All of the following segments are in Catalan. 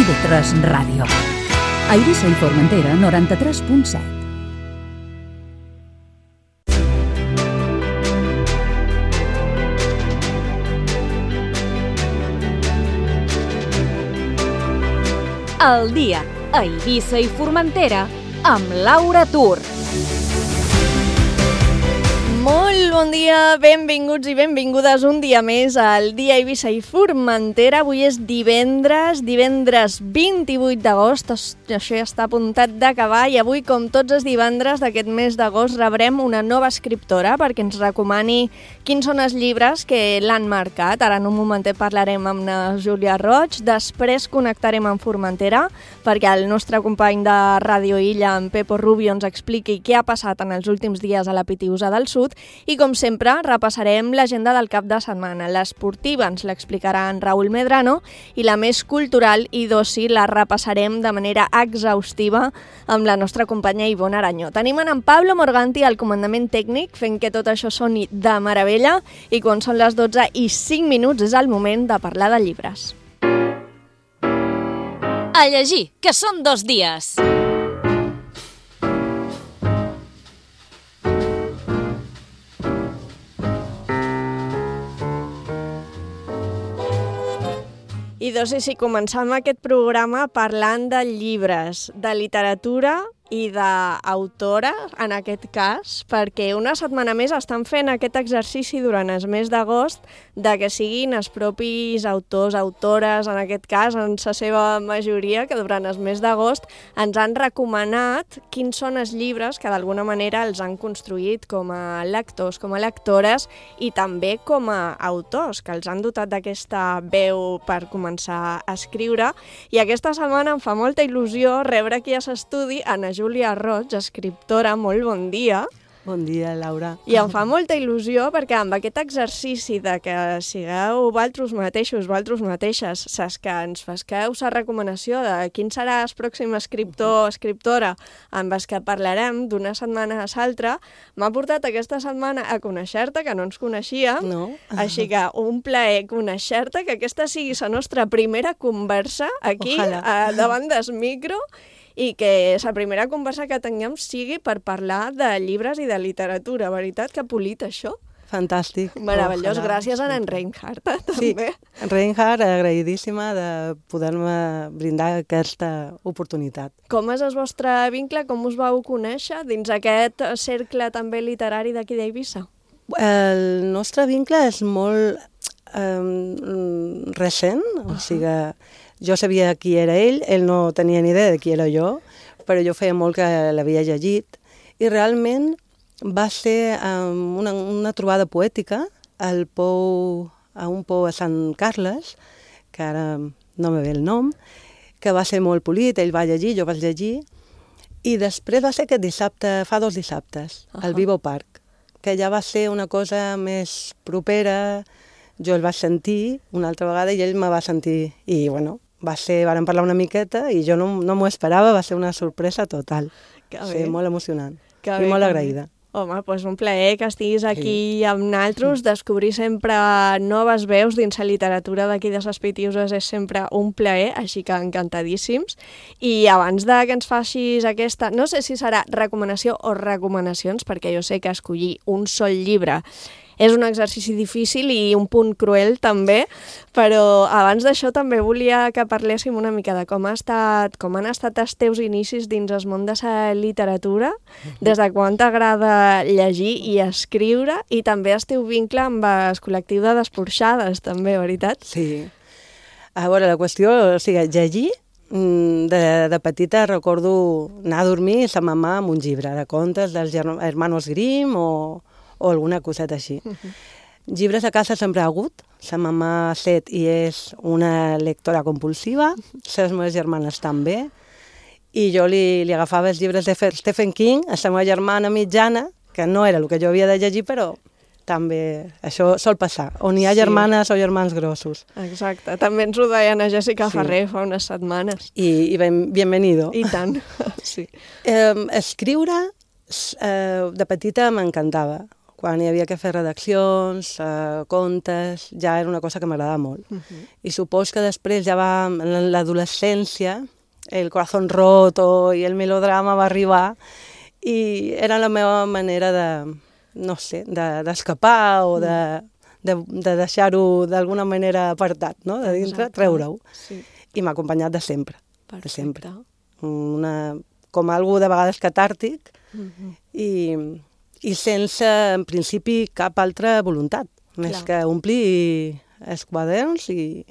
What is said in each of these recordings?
TV3 Ràdio. A Eivissa i Formentera, 93.7. El dia a Eivissa i Formentera amb Laura Tur. Molt bon dia, benvinguts i benvingudes un dia més al dia a Eivissa i Formentera. Avui és divendres 28 d'agost, això ja està a puntat d'acabar i avui, com tots els divendres d'aquest mes d'agost, rebrem una nova escriptora perquè ens recomani quins són els llibres que l'han marcat. Ara en un momentet parlarem amb la Júlia Roig, després connectarem amb Formentera perquè el nostre company de Ràdio Illa, en Pepo Rubio, ens expliqui què ha passat en els últims dies a la Pitiusa del Sud. I com sempre repassarem l'agenda del cap de setmana. L'esportiva ens l'explicarà en Raül Medrano i la més cultural i d'oci la repassarem de manera exhaustiva amb la nostra companya Ivonne Aranyó. Tenim en Pablo Morganti al comandament tècnic fent que tot això soni de meravella i quan són les 12:05 és el moment de parlar de llibres. A llegir, que són 2 dies. I si començam aquest programa parlant de llibres, de literatura i d'autora, en aquest cas, perquè una setmana més estan fent aquest exercici durant el mes d'agost de que siguin els propis autors, autores, en aquest cas, en la seva majoria, que durant el mes d'agost ens han recomanat quins són els llibres que d'alguna manera els han construït com a lectors, com a lectores i també com a autors, que els han dotat d'aquesta veu per començar a escriure. I aquesta setmana em fa molta il·lusió rebre aquí a l'estudi a Júlia Roig, escriptora. Molt bon dia. Bon dia, Laura. I em fa molta il·lusió perquè amb aquest exercici de que sigueu vosaltres mateixes, saps que ens fasqueu la recomanació de quin serà el pròxim escriptor o escriptora amb els que parlarem d'una setmana a l'altra, m'ha portat aquesta setmana a conèixer-te, que no ens coneixia. No. Així que un plaer conèixer-te, que aquesta sigui la nostra primera conversa aquí, davant del micro, i que la primera conversa que tinguem sigui per parlar de llibres i de literatura. Veritat que polit, això? Fantàstic. Meravellós. Gràcies a en Reinhardt, també. Sí, Reinhardt, agraïdíssima de poder-me brindar aquesta oportunitat. Com és el vostre vincle? Com us vau conèixer dins aquest cercle també literari d'aquí d'Eivissa? El nostre vincle és molt recent, o sigui, jo sabia qui era ell no tenia ni idea de qui era jo, però jo feia molt que l'havia llegit i realment va ser una trobada poètica a un pou a Sant Carles, que ara no me ve el nom, que va ser molt polit, ell va llegir, jo vaig llegir, i després va ser aquest dissabte, fa 2 dissabtes, al Vivo Park, que ja va ser una cosa més propera. Jo el vaig sentir una altra vegada i ell me va sentir, i bueno, vàrem parlar una miqueta i jo no m'ho esperava, va ser una sorpresa total. Va ser molt emocionant i molt agraïda. Home, doncs un plaer que estiguis aquí amb nosaltres. Descobrir sempre noves veus dins la literatura d'aquí de les Pitiuses és sempre un plaer, així que encantadíssims. I abans de que ens facis aquesta, no sé si serà recomanació o recomanacions, perquè jo sé que escollir un sol llibre és un exercici difícil i un punt cruel també, però abans d'això també volia que parléssim una mica de com han estat els teus inicis dins el món de la literatura, des de quan t'agrada llegir i escriure, i també el teu vincle amb el col·lectiu de Desporxades, també, veritat? Sí. A veure, la qüestió, o sigui, llegir, de petita recordo anar a dormir i sa mamà amb un llibre de contes dels Hermanos Grimm o alguna coseta així. Llibres a casa sempre ha hagut. Sa mamà set i és una lectora compulsiva, les meves germanes també, i jo li agafava els llibres de Stephen King a la meva germana mitjana, que no era el que jo havia de llegir, però també això sol passar, on hi ha germanes o germans grossos. Exacte, també ens ho deien a Jessica Ferrer fa unes setmanes. I bienvenido. I tant, sí. Escriure de petita m'encantava. quan hi havia que fer redaccions, contes, ja era una cosa que m'agradava molt. I supos que després ja va, en l'adolescència, el corazón roto i el melodrama va arribar i era la meva manera de, no sé, d'escapar o de deixar-ho d'alguna manera apartat, no? De dintre, treure-ho. Sí. I m'ha acompanyat de sempre, de Perfecte. sempre. Com algú de vegades catàrtic i sense, en principi, cap altra voluntat, més que omplir els quaderns i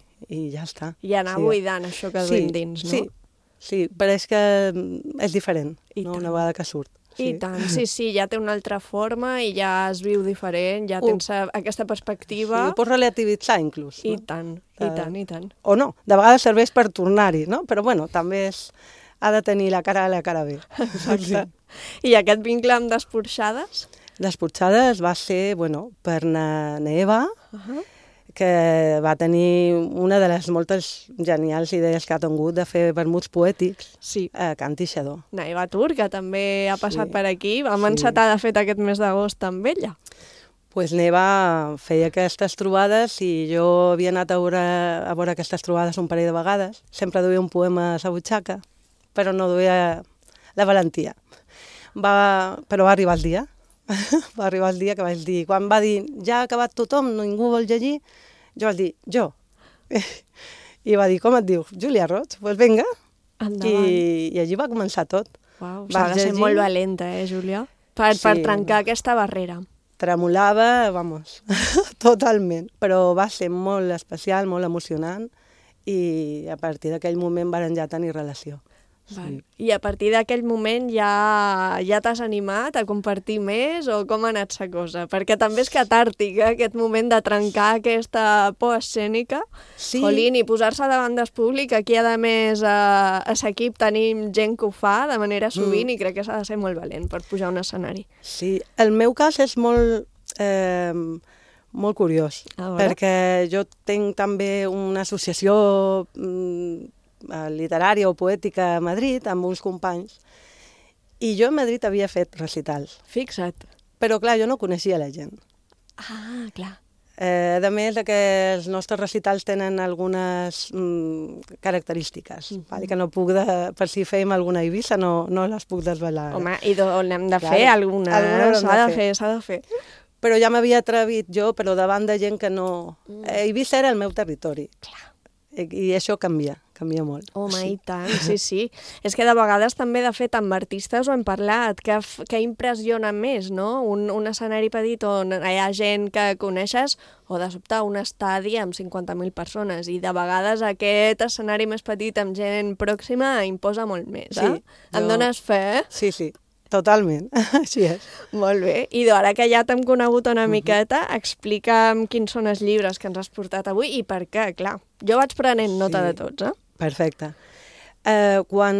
ja està. I anar buidant això que duim dins, no? Sí, però és que és diferent, no? Una vegada que surt. I tant, sí, ja té una altra forma i ja es viu diferent, ja tens aquesta perspectiva. Sí, ho pots relativitzar, inclús. I tant, i tant. O no, de vegades serveix per tornar-hi, no? Però bueno, també ha de tenir la cara A i la cara B. Exacte. I aquest vincle amb Desporxades? Desporxades va ser, per Neva, que va tenir una de les moltes genials idees que ha tingut de fer vermuts poètics a Can Tixador. Neva Turca també ha passat per aquí. Vam encetar, de fet, aquest mes d'agost amb ella. Pues Neva feia aquestes trobades i jo havia anat a veure aquestes trobades un parell de vegades. Sempre duia un poema a la butxaca, però no duia la valentia. Però va arribar el dia. Va arribar el dia que vaig dir, quan va dir ja ha acabat tothom, ningú vol llegir, jo vaig dir, jo. I va dir, com et dius? Júlia Roig? Doncs vinga. I allí va començar tot. Uau, s'ha de ser molt valenta, Júlia? Per trencar aquesta barrera. Tremolava, totalment. Però va ser molt especial, molt emocionant, i a partir d'aquell moment varen ja tenir relació. Sí. I a partir d'aquell moment ja t'has animat a compartir més o com ha anat la cosa? Perquè també és catàrtica aquest moment de trencar aquesta por escènica, Jolín, i posar-se davant del públic. Aquí, a més, a l'equip tenim gent que ho fa de manera sovint i crec que s'ha de ser molt valent per pujar a un escenari. Sí, el meu cas és molt curiós, perquè jo tinc també una associació literària o poètica a Madrid, amb uns companys, i jo a Madrid havia fet recitals. Fixa't. Però, clar, jo no coneixia la gent. Ah, clar. A més que els nostres recitals tenen algunes característiques, que no puc, per si fèiem alguna Eivissa, no les puc desvelar. Home, i n'hem de fer alguna, s'ha de fer. Però ja m'havia atrevit jo, però davant de gent que no... Eivissa era el meu territori. Clar. I això canvia molt. Home, i tant, sí. És que de vegades també, de fet, amb artistes ho hem parlat, que impressiona més, no? Un escenari petit on hi ha gent que coneixes o de sobte un estadi amb 50.000 persones i de vegades aquest escenari més petit amb gent pròxima imposa molt més, eh? Em dones fe? Sí. Totalment, així és. Molt bé. I ara que ja t'hem conegut una miqueta, explica'm quins són els llibres que ens has portat avui i per què, clar. Jo vaig prenent nota de tots, eh? Perfecte. Quan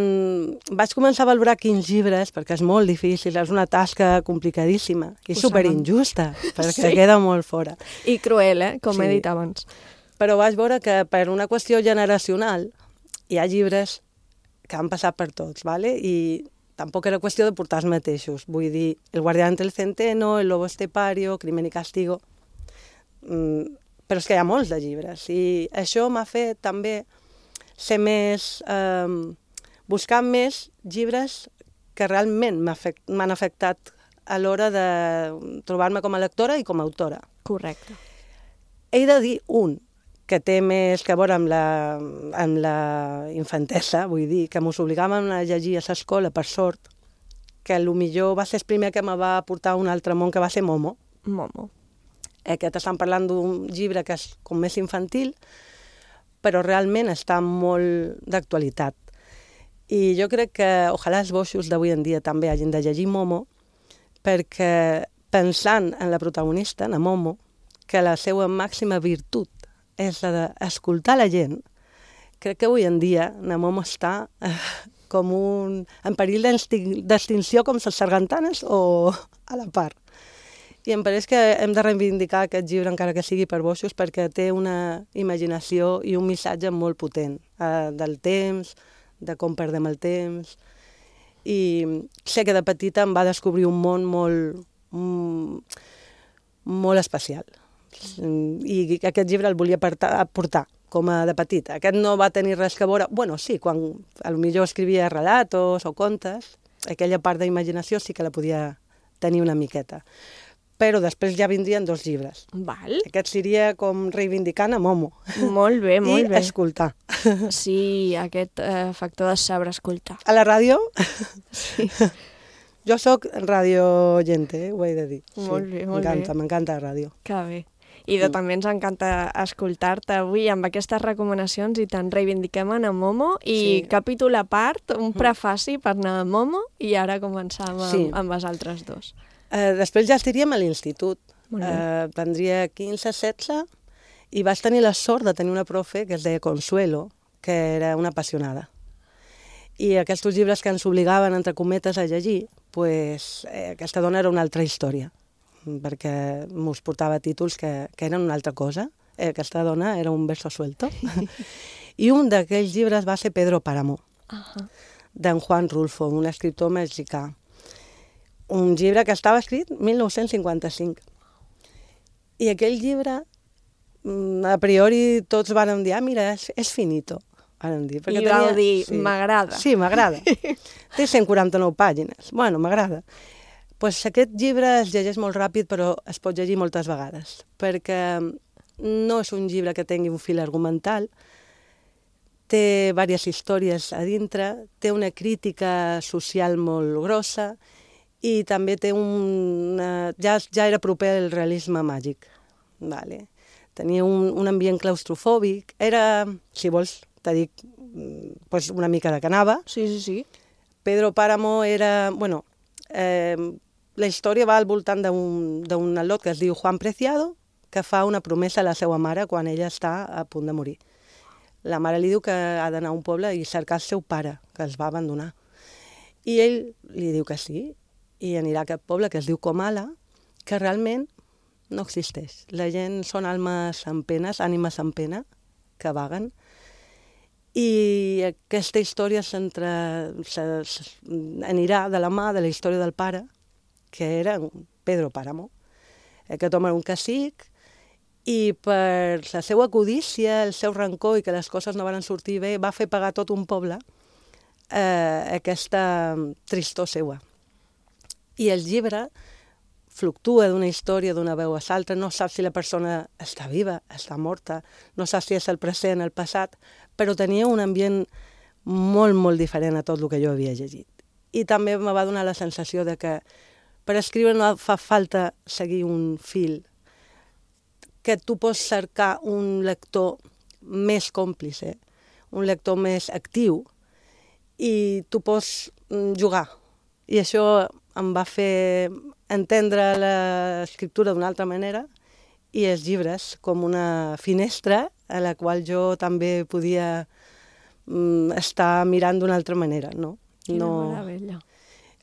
vaig començar a valorar quins llibres, perquè és molt difícil, és una tasca complicadíssima i superinjusta, perquè queda molt fora. I cruel, com he dit abans. Però vaig veure que per una qüestió generacional hi ha llibres que han passat per tots, i tampoc era qüestió de portar els mateixos. Vull dir, El guardián del centeno, El lobo estepario, Crimen i castigo... Però és que hi ha molts de llibres. I això m'ha fet també ser més... buscar més llibres que realment m'han afectat a l'hora de trobar-me com a lectora i com a autora. Correcte. He de dir un que té més que veure amb la infantesa, vull dir, que mos obligàvem a llegir a l'escola, per sort, que potser va ser el primer que me va portar a un altre món, que va ser Momo. Momo. Aquest estan parlant d'un llibre que és com més infantil, però realment està molt d'actualitat. I jo crec que ojalà els boixos d'avui en dia també hagin de llegir Momo, perquè pensant en la protagonista, en Momo, que la seva màxima virtut és la d'escoltar la gent, crec que avui en dia la Momo està com en perill d'extinció com les sargantanes o a la part. I em pareix que hem de reivindicar aquest llibre, encara que sigui per boixos, perquè té una imaginació i un missatge molt potent del temps, de com perdem el temps. I sé que de petita em va descobrir un món molt especial. I aquest llibre el volia portar com a de petit. Aquest no va tenir res que veure... Bueno, sí, quan potser escrivia relatos o contes, aquella part d'imaginació sí que la podia tenir una miqueta. Però després ja vindrien 2 llibres. Val. Aquest seria com reivindicant a Momo. Molt bé, molt bé. I escoltar. Sí, aquest factor de saber escoltar. A la ràdio? Sí. Jo sóc radioyente, ho he de dir. Molt bé, molt bé. M'encanta la ràdio. Que bé. I també ens encanta escoltar-te avui amb aquestes recomanacions i tant reivindiquem a Momo i capítol a part, un prefaci per anar a Momo i ara començar amb els altres 2. Després ja estaríem a l'institut. Tindria 15-16 i vaig tenir la sort de tenir una profe que es deia Consuelo, que era una apassionada. I aquests llibres que ens obligaven, entre cometes, a llegir, aquesta dona era una altra història, perquè mos portava títols que eren una altra cosa. Aquesta dona era un verso suelto. I un d'aquells llibres va ser Pedro Páramo, d'en Juan Rulfo, un escriptor mexicà. Un llibre que estava escrit 1955. I aquell llibre, a priori, tots vàrem dir, mira, és finito. I vau dir, m'agrada. Sí, m'agrada. Té 149 pàgines. Bueno, m'agrada. Aquest llibre es llegeix molt ràpid, però es pot llegir moltes vegades, perquè no és un llibre que tingui un fil argumental, té diverses històries a dintre, té una crítica social molt grossa i també té ja era proper al realisme màgic. Tenia un ambient claustrofòbic, era, si vols, t'he dit, una mica de canava. Sí. Pedro Páramo era, la història va al voltant d'un al·lot que es diu Juan Preciado, que fa una promesa a la seva mare quan ella està a punt de morir. La mare li diu que ha d'anar a un poble i cercar el seu pare, que els va abandonar. I ell li diu que sí, i anirà a aquest poble que es diu Comala, que realment no existeix. La gent són almes amb penes, ànimes amb pena, que vaguen. I aquesta història anirà de la mà de la història del pare, que era Pedro Páramo. Aquest home era un cacic i per la seva codícia, el seu rancor i que les coses no van sortir bé, va fer pagar tot un poble aquesta tristor seva. I el llibre fluctua d'una història, d'una veu a l'altra, no saps si la persona està viva, està morta, no saps si és el present, el passat, però tenia un ambient molt, molt diferent a tot el que jo havia llegit. I també me va donar la sensació de que per escriure no fa falta seguir un fil, que tu pots cercar un lector més còmplice, un lector més actiu, i tu pots jugar. I això em va fer entendre l'escriptura d'una altra manera i els llibres com una finestra a la qual jo també podia estar mirant d'una altra manera, no? Quina meravella.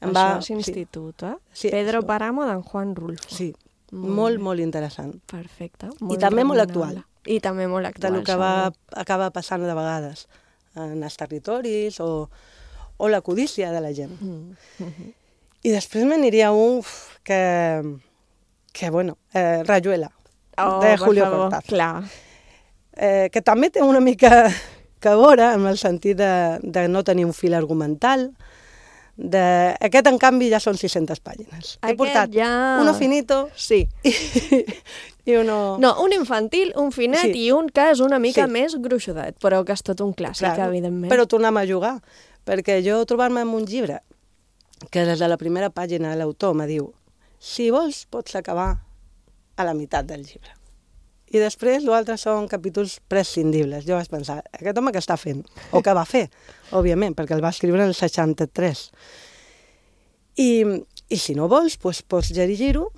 Això és institut, eh? Sí, Pedro Páramo d'en Juan Rulfo. Sí, molt, molt interessant. Perfecte. I també molt actual. I també molt actual. Del que acaba passant de vegades en els territoris o la codícia de la gent. I després m'aniria un que bueno, Rayuela, de Julio Cortázar. Clar. Que també té una mica que veure en el sentit de no tenir un fil argumental. Aquest, en canvi, ja són 600 pàgines. He portat uno finito i uno... No, un infantil, un finet i un que és una mica més gruixudet, però que és tot un clàssic, evidentment. Però tornem a jugar, perquè jo trobar-me amb un llibre que des de la primera pàgina l'autor me diu si vols pots acabar a la meitat del llibre. I després l'altre són capítols prescindibles. Jo vaig pensar, aquest home què està fent? O què va fer, òbviament, perquè el va escriure en el 63. I si no vols, doncs pots llegir-ho,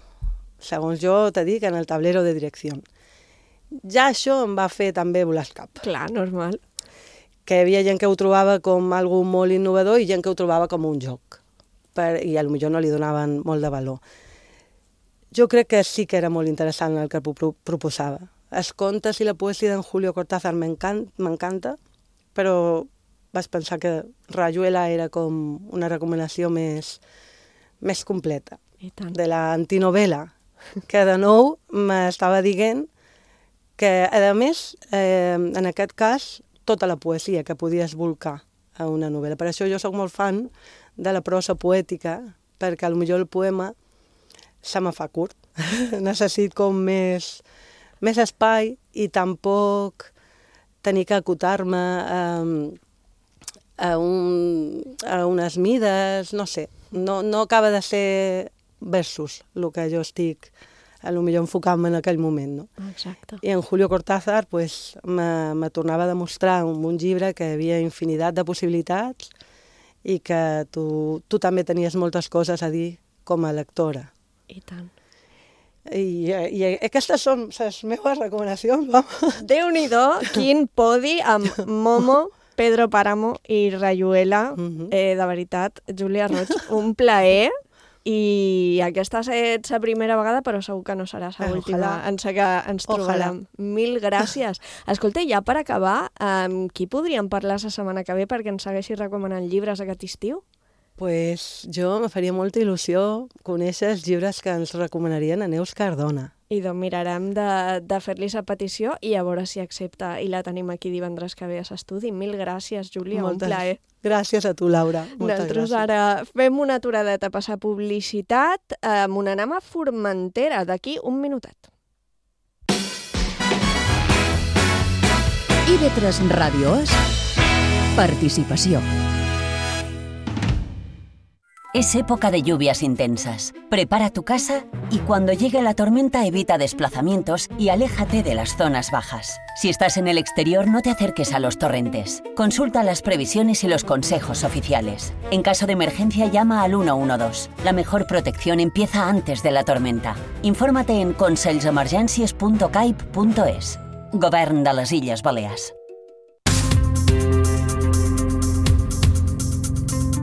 segons jo t'he dit, en el tablero de direcció. Ja això em va fer també volar el cap. Clar, normal. Que hi havia gent que ho trobava com algo molt innovador i gent que ho trobava com un joc. I potser no li donaven molt de valor. Jo crec que sí que era molt interessant el que proposava. Els contes i la poesia d'en Julio Cortázar m'encanta, però vaig pensar que Rayuela era com una recomanació més completa. I tant. De la antinovela que de nou m'estava dient que, a més, en aquest cas, tota la poesia que podies volcar a una novel·la. Per això jo sóc molt fan de la prosa poètica, perquè potser el poema se me fa curt. Necessito com més espai i tampoc tenir que acotar-me a unes mides, no sé. No acaba de ser versos el que jo estic potser enfocant-me en aquell moment, no? Exacte. I en Julio Cortázar pues, me tornava a demostrar amb un llibre que hi havia infinitat de possibilitats i que tu també tenies moltes coses a dir com a lectora. I tant. I aquestes són les meves recomanacions, vamos. Déu-n'hi-do, quin podi amb Momo, Pedro Páramo i Rayuela. De veritat, Júlia Roig, un plaer. I aquesta ha estat la primera vegada, però segur que no serà l'última en què ens trobarem. Mil gràcies. Escolta, ja per acabar, qui podríem parlar la setmana que ve perquè ens segueixi recomanant llibres aquest estiu? Pues jo me faria molta il·lusió conèixer els llibres que ens recomanarien a Neus Cardona. I doncs mirarem de fer-li la petició i a veure si accepta i la tenim aquí divendres que ve a l'estudi. Mil gràcies, Júlia, un plaer. Gràcies a tu, Laura. Nosaltres ara fem una aturadeta a passar publicitat. Anem a Formentera d'aquí un minutet. IB3 Radio es participació. Es época de lluvias intensas. Prepara tu casa y cuando llegue la tormenta evita desplazamientos y aléjate de las zonas bajas. Si estás en el exterior, no te acerques a los torrentes. Consulta las previsiones y los consejos oficiales. En caso de emergencia, llama al 112. La mejor protección empieza antes de la tormenta. Infórmate en conselsemergències.caip.es. Govern de les Illes Balears.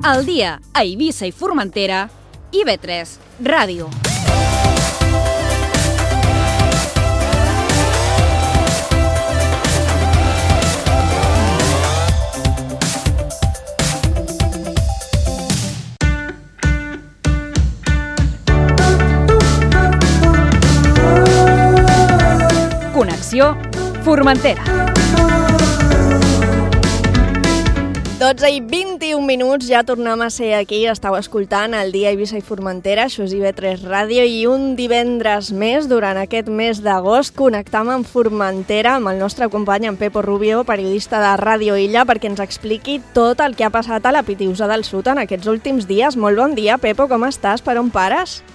Al dia a Eivissa i Formentera, IB3 Ràdio. Connexió Formentera. 12 i 21 minuts, ja tornem a ser aquí, estàu escoltant el dia Eivissa i Formentera, això és IB3 Ràdio, i un divendres més, durant aquest mes d'agost, connectam amb Formentera, amb el nostre company, en Pepo Rubio, periodista de Ràdio Illa, perquè ens expliqui tot el que ha passat a la Pitiusa del Sud en aquests últims dies. Molt bon dia, Pepo, com estàs? Per on pares?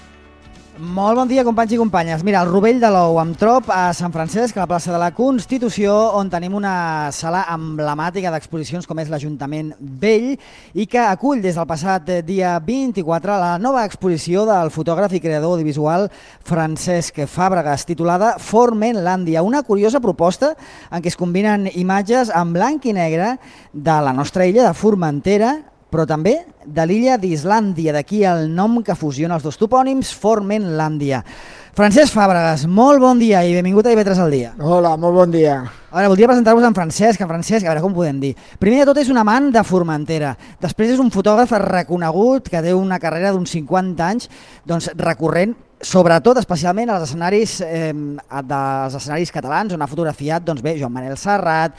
Molt bon dia, companys i companyes. Mira, el Rovell de l'Ou amb trop a Sant Francesc, a la plaça de la Constitució, on tenim una sala emblemàtica d'exposicions com és l'Ajuntament Vell i que acull des del passat dia 24 la nova exposició del fotògraf i creador audiovisual Francesc Fàbregas, titulada Formentlandia, una curiosa proposta en què es combinen imatges en blanc i negre de la nostra illa de Formentera, però també de l'illa d'Islàndia, d'aquí el nom que fusiona els dos topònims, Formentlandia. Francesc Fàbregas, molt bon dia i benvingut a IB3 al dia. Hola, molt bon dia. A veure, voldria presentar-vos en Francesc. En Francesc, a veure com podem dir. Primer de tot és un amant de Formentera. Després és un fotògraf reconegut que té una carrera d'uns 50 anys recorrent, sobretot, especialment als escenaris catalans, on ha fotografiat Joan Manel Serrat,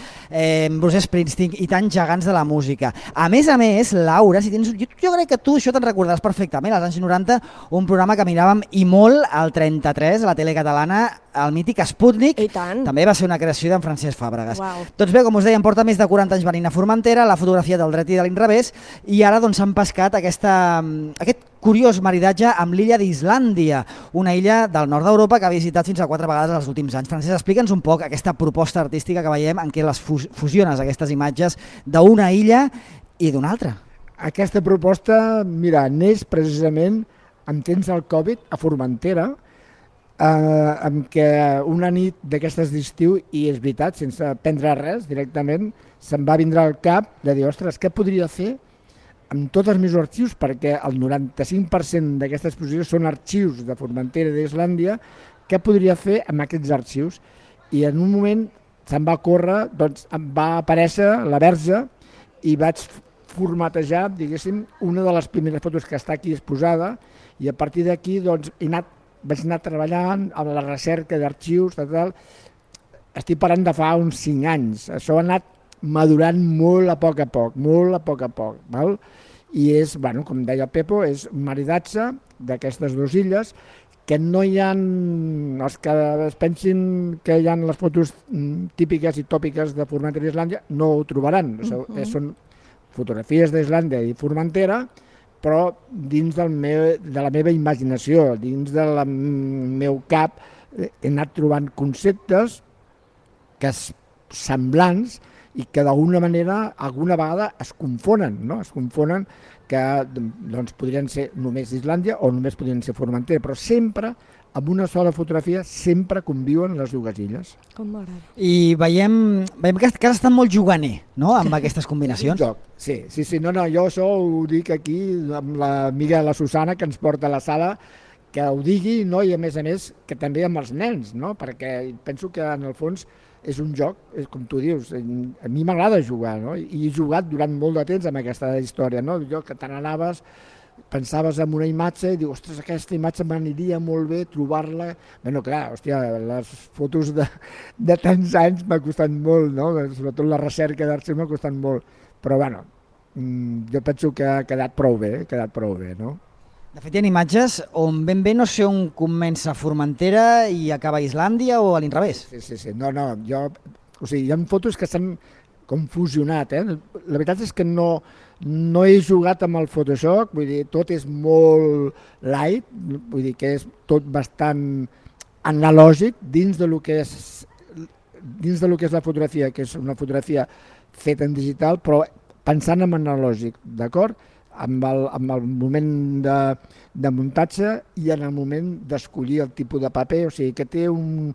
Bruce Springsteen i tants gegants de la música. A més, Laura, si tens, jo crec que tu això te'n recordaràs perfectament, als anys 90, un programa que miràvem i molt al 33, a la tele catalana, el mític Sputnik, també va ser una creació d'en Francesc Fàbregas. Wow. Doncs bé, com us dèiem, porta més de 40 anys venint a Formentera, la fotografia del dret i de l'inrevés, i ara s'han pescat aquest curiós maridatge amb l'illa d'Islàndia, una illa del nord d'Europa que ha visitat fins a 4 vegades els últims anys. Francesc, explica'ns un poc aquesta proposta artística que veiem en què les fusiones aquestes imatges d'una illa i d'una altra. Aquesta proposta, mira, neix precisament en temps del Covid a Formentera, en què una nit d'aquestes d'estiu, i és veritat, sense prendre res directament, se'm va vindre al cap de dir, ostres, què podria fer amb tots els meus arxius, perquè el 95% d'aquestes exposicions són arxius de Formentera i d'Islàndia, què podria fer amb aquests arxius? I en un moment se'm va córrer, em va aparèixer la Verge i vaig formatejar, diguéssim, una de les primeres fotos que està aquí exposada, i a partir d'aquí he anat vaig anar treballant amb la recerca d'arxius, tal. Estic parlant de fa uns 5 anys. Això ha anat madurant molt a poc, val? I és, bueno, com deia el Pepo, és un maridatge d'aquestes dues illes, que no hi ha, els que es pensin que hi ha les fotos típiques i tòpiques de Formentera i Islàndia, no ho trobaran. Són fotografies d'Islàndia i Formentera, però dins de la meva imaginació, dins del meu cap, he anat trobant conceptes que semblants i que d'alguna manera, alguna vegada es confonen, no? Es confonen que doncs, podrien ser només Islàndia o només podrien ser Formentera, però sempre, amb una sola fotografia, sempre conviuen les dues illes. Com m'agrada. I veiem que has estat molt juganer, no?, amb aquestes combinacions. Sí, no, jo això ho dic aquí amb l'amiga la Susana, que ens porta a la sala, que ho digui, no? I a més que també amb els nens, no? Perquè penso que en el fons és un joc, és com tu dius, a mi m'agrada jugar, no? I he jugat durant molt de temps amb aquesta història, no? Jo que te n'anaves, pensaves en una imatge i dius, ostres, aquesta imatge m'aniria molt bé trobar-la. Bueno, clar, hòstia, les fotos de tants anys m'ha costat molt, no? Sobretot la recerca d'arxiu m'ha costat molt, però bueno, jo penso que ha quedat prou bé, no? De fet, hi ha imatges on ben bé no sé on comença Formentera i acaba Islàndia o a l'inrevés. Sí. No, hi ha fotos que s'han com fusionat, La veritat és que no he jugat amb el Photoshop, vull dir, tot és molt light, vull dir que és tot bastant analògic dins de lo que és la fotografia, que és una fotografia feta en digital, però pensant en analògic, d'acord? Amb el moment de muntatge i en el moment d'escollir el tipus de paper, o sigui que té un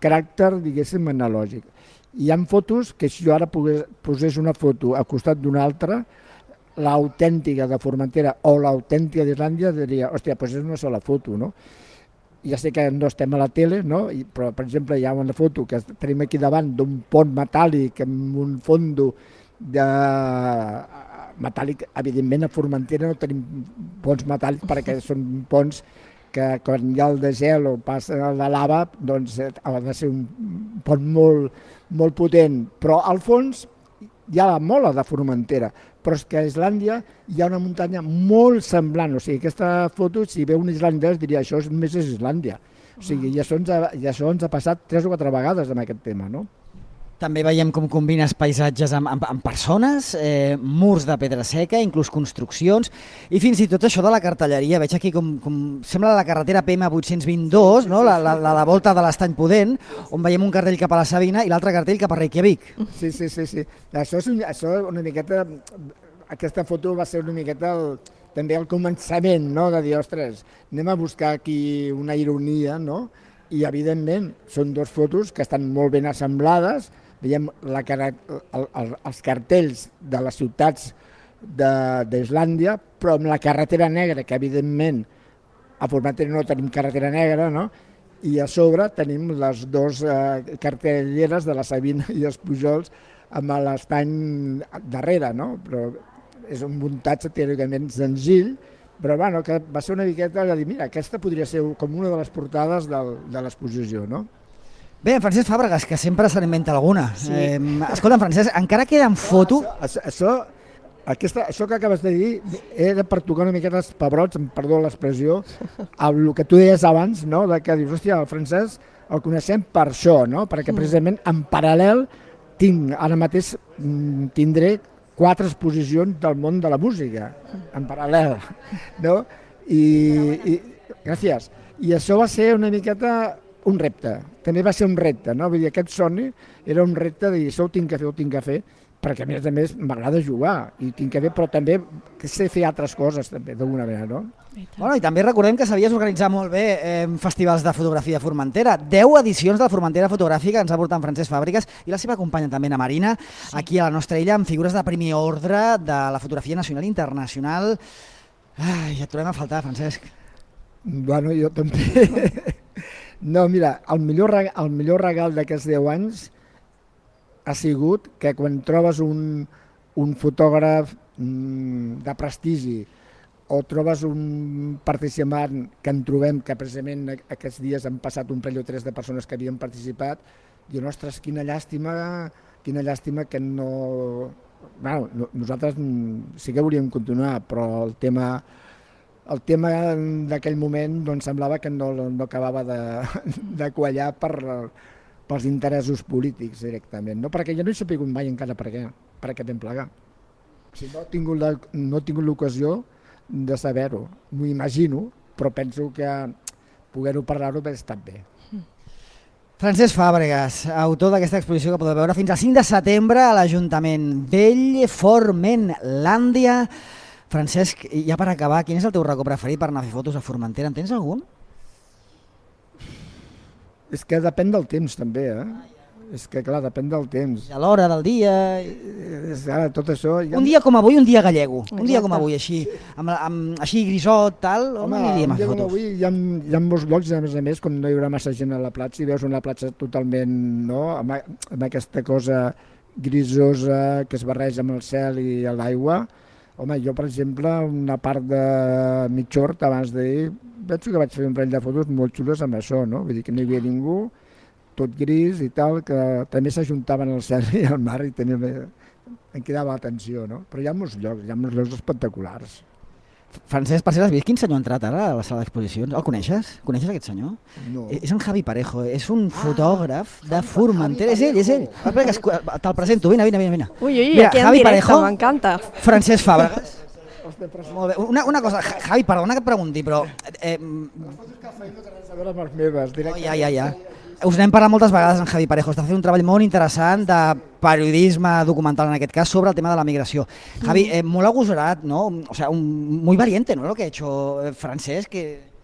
caràcter, diguéssim, analògic. Hi ha fotos que si jo ara posés una foto al costat d'una altra, l'autèntica de Formentera o l'autèntica d'Islàndia diria, hòstia, doncs és una sola foto, no? Ja sé que no estem a la tele, no? Però, per exemple, hi ha una foto que tenim aquí davant d'un pont metàl·lic amb un fondo metàl·lic. Evidentment a Formentera no tenim ponts metàl·lics perquè són ponts que quan hi ha el desgel o passa la lava doncs ha de ser un pont molt potent, però al fons hi ha la mola de Formentera, però és que a Islàndia hi ha una muntanya molt semblant, o sigui, aquesta foto, si veu un islandès diria això només és Islàndia, o sigui, i això ens ha passat 3 o 4 vegades amb aquest tema, no? També veiem com combines paisatges amb persones, murs de pedra seca, inclús construccions, i fins i tot això de la cartelleria. Veig aquí com sembla la carretera PM822, no? la volta de l'Estany Pudent, on veiem un cartell cap a la Sabina i l'altre cartell cap a Reykjavik. Sí. Això una miqueta, aquesta foto va ser una miqueta també el començament, no? De dir, ostres, anem a buscar aquí una ironia, no? I evidentment són 2 fotos que estan molt ben assemblades. Veiem els cartells de les ciutats d'Islàndia, però amb la carretera negra, que evidentment a Formentera no tenim carretera negra, no? I a sobre tenim les 2 cartelleres de la Sabina i els Pujols amb l'estany darrere, no? Però és un muntatge teòricament senzill, però bueno, que va ser una miqueta de dir, mira, aquesta podria ser com una de les portades de l'exposició, no? Bé, en Francesc Fàbregas, que sempre se n'inventa alguna. Sí. Escolta, Francesc, encara queda en foto... Això que acabes de dir era per tocar una miqueta els pebrots, perdó l'expressió, amb el que tu deies abans, no? De que dius, hòstia, el Francesc el coneixem per això, no? Perquè precisament en paral·lel ara mateix tindré 4 exposicions del món de la música, en paral·lel, no? I gràcies. I això va ser una miqueta un repte, també va ser un repte, no? Vull dir, aquest somni era un repte de dir, això ho tinc que fer, perquè a més m'agrada jugar, i tinc que fer, però també sé fer altres coses, també, d'alguna manera, no? Bueno, i també recordem que sabies organitzar molt bé festivals de fotografia a Formentera. 10 edicions de la Formentera fotogràfica ens ha portat Francesc Fàbregas i la seva companya també, na Marina, aquí a la nostra illa, amb figures de primer ordre de la fotografia nacional i internacional. Ja et trobem a faltar, Francesc. Bueno, jo també. No, mira, el millor regal d'aquests 10 anys ha sigut que quan trobes un fotògraf de prestigi o trobes un participant que en trobem, que precisament aquests dies han passat un parell o tres de persones que havien participat, diuen, ostres, quina llàstima que no... Bueno, nosaltres sí que volíem continuar, però el tema d'aquell moment doncs, semblava que no acabava de quallar pels interessos polítics directament, no? Perquè jo no he sapigut mai encara per què vam plegar. Si no he tingut l'ocasió de saber-ho, m'ho imagino, però penso que poder-ho parlar-ho hauria estat bé. Francesc Fàbregas, autor d'aquesta exposició que podeu veure fins al 5 de setembre a l'Ajuntament Vell, Formenlàndia. Francesc, ja per acabar, quin és el teu racó preferit per anar a fer fotos a Formentera? En tens algun? És que depèn del temps també, És que clar, depèn del temps. A l'hora del dia... Ara, tot això... Un dia com avui, un dia gallego. Un dia com avui, així, així grisot, tal, on aniríem a fer fotos? Avui hi ha molts llocs, a més, com no hi haurà massa gent a la platja, i veus una platja totalment, no?, amb aquesta cosa grisosa que es barreja amb el cel i l'aigua. Home, jo, per exemple, una part de Mitjort, abans d'ahir, penso que vaig fer un parell de fotos molt xules amb això, no? Vull dir que no hi havia ningú, tot gris i tal, que també s'ajuntaven el cel i el mar i em quedava l'atenció, no? Però hi ha molts llocs espectaculars. Francesc, per si l'has vist, quin senyor ha entrat ara a la sala d'exposicions? El coneixes? Coneixes aquest senyor? No. És en Javi Parejo, és un fotògraf de Formentera. És ell. Te'l presento, vine. Ui, mira, aquí en Javi directe, Parejo, m'encanta. Francesc Fàbregas. Molt bé. Una cosa, Javi, perdona que et pregunti, però... Ja. Us n'hem parlat moltes vegades en Javi Parejo, està fent un treball molt interessant de periodisme documental, en aquest cas, sobre el tema de la migració. Javi, molt agosarat, ¿no? O sea, muy valiente, ¿no?, lo que ha hecho Francesc.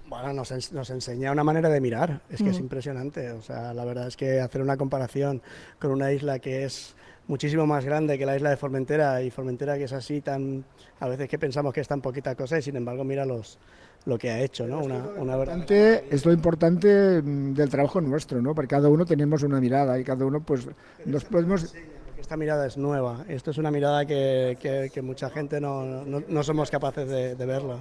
Bueno, nos enseña una manera de mirar, es que es impresionante. O sea, la verdad es que hacer una comparación con una isla que es muchísimo más grande que la isla de Formentera, y Formentera que es así tan, a veces que pensamos que es tan poquita cosa, y sin embargo mira lo que ha hecho, ¿no? Es lo importante del trabajo nuestro, ¿no? Porque cada uno tenemos una mirada y cada uno pues nos podemos... Esta mirada es nueva, esto es una mirada que mucha gente no somos capaces de verla.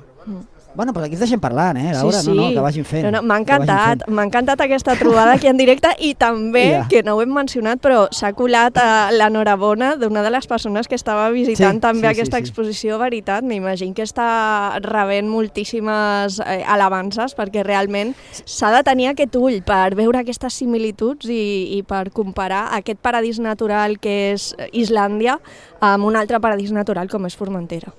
Bueno, pues aquí ens deixem parlant, Laura, sí. No, que vagin fent. No, m'ha encantat aquesta trobada aquí en directe, i també, que no ho hem mencionat, però s'ha colat l'enhorabona d'una de les persones que estava visitant també aquesta exposició. Veritat, m'imagino que està rebent moltíssimes alabances, perquè realment s'ha de tenir aquest ull per veure aquestes similituds i per comparar aquest paradís natural que és Islàndia amb un altre paradís natural com és Formentera.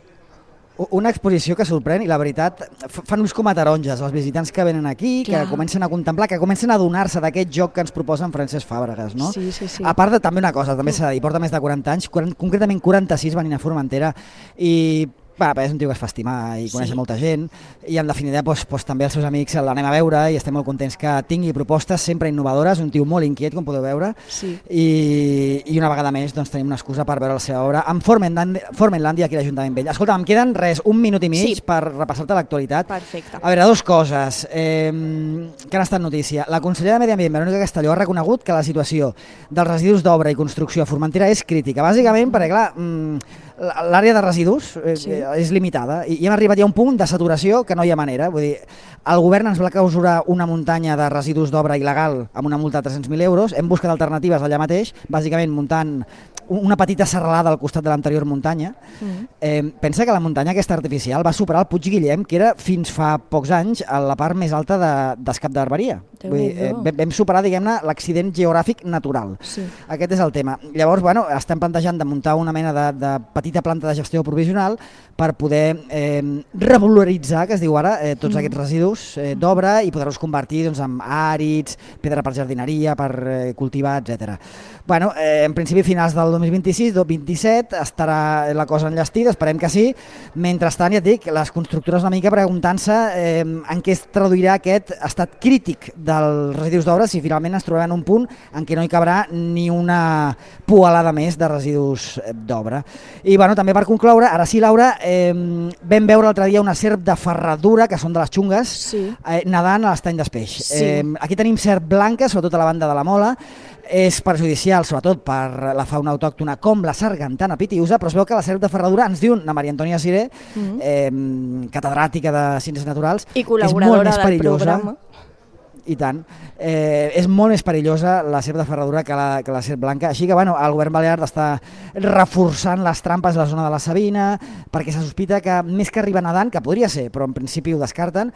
Una exposició que sorprèn, i la veritat fan ulls com a taronges els visitants que venen aquí, que comencen a contemplar, que comencen a adonar-se d'aquest joc que ens proposa en Francesc Fàbregas, no? Sí. A part de també una cosa, també s'ha de dir, porta més de 40 anys, concretament 46 venint a Formentera, i és un tio que es fa estimar i coneix molta gent, i en definitiva també els seus amics l'anem a veure i estem molt contents que tingui propostes sempre innovadores, un tio molt inquiet, com podeu veure, i una vegada més tenim una excusa per veure la seva obra en Formenlàndia, aquí a l'Ajuntament Vell. Escolta, em queden un minut i mig per repassar-te l'actualitat. Perfecte. A veure, dues coses que han estat notícia. La consellera de Medi Ambient, Verònica Castelló, ha reconegut que la situació dels residus d'obra i construcció a Formentera és crítica, bàsicament perquè, clar, l'àrea de residus és limitada i hem arribat ja a un punt de saturació que no hi ha manera. Vull dir, el govern ens va causar una muntanya de residus d'obra il·legal amb una multa de 300.000 euros. Hem buscat alternatives allà mateix, bàsicament muntant una petita serralada al costat de l'anterior muntanya. Pensa que la muntanya aquesta artificial va superar el Puig Guillem, que era fins fa pocs anys la part més alta d'Escap d'Herberia. Vam superar, diguem-ne, l'accident geogràfic natural. Aquest és el tema. Llavors, estem plantejant de muntar una mena de petita planta de gestió provisional per poder revaloritzar, que es diu ara, tots aquests residus d'obra i poder-los convertir en àrids, pedra per jardineria, per cultivar, etc. En principi, finals del 2026-2027 estarà la cosa enllestida, esperem que sí. Mentrestant, ja et dic, les constructores una mica preguntant-se en què es traduirà aquest estat crític dels residus d'obra si finalment ens trobem en un punt en què no hi cabrà ni una pualada més de residus d'obra. I també per concloure, ara sí, Laura, vam veure l'altre dia una serp de ferradura, que són de les xungues, nedant a l'estany d'Espeix. Aquí tenim serp blanca, sobretot a la banda de la Mola, És perjudicial, sobretot, per la fauna autòctona com la sargantana pitiusa, però es veu que la serp de ferradura, ens diu na Maria Antònia Siré, catedràtica de Ciències Naturals, i col·laboradora del perillosa, programa. I tant. És molt més perillosa la serp de ferradura que la serp blanca. Així que el govern balear està reforçant les trampes a la zona de la Sabina, perquè se sospita que més que arribar nedant, que podria ser, però en principi ho descarten,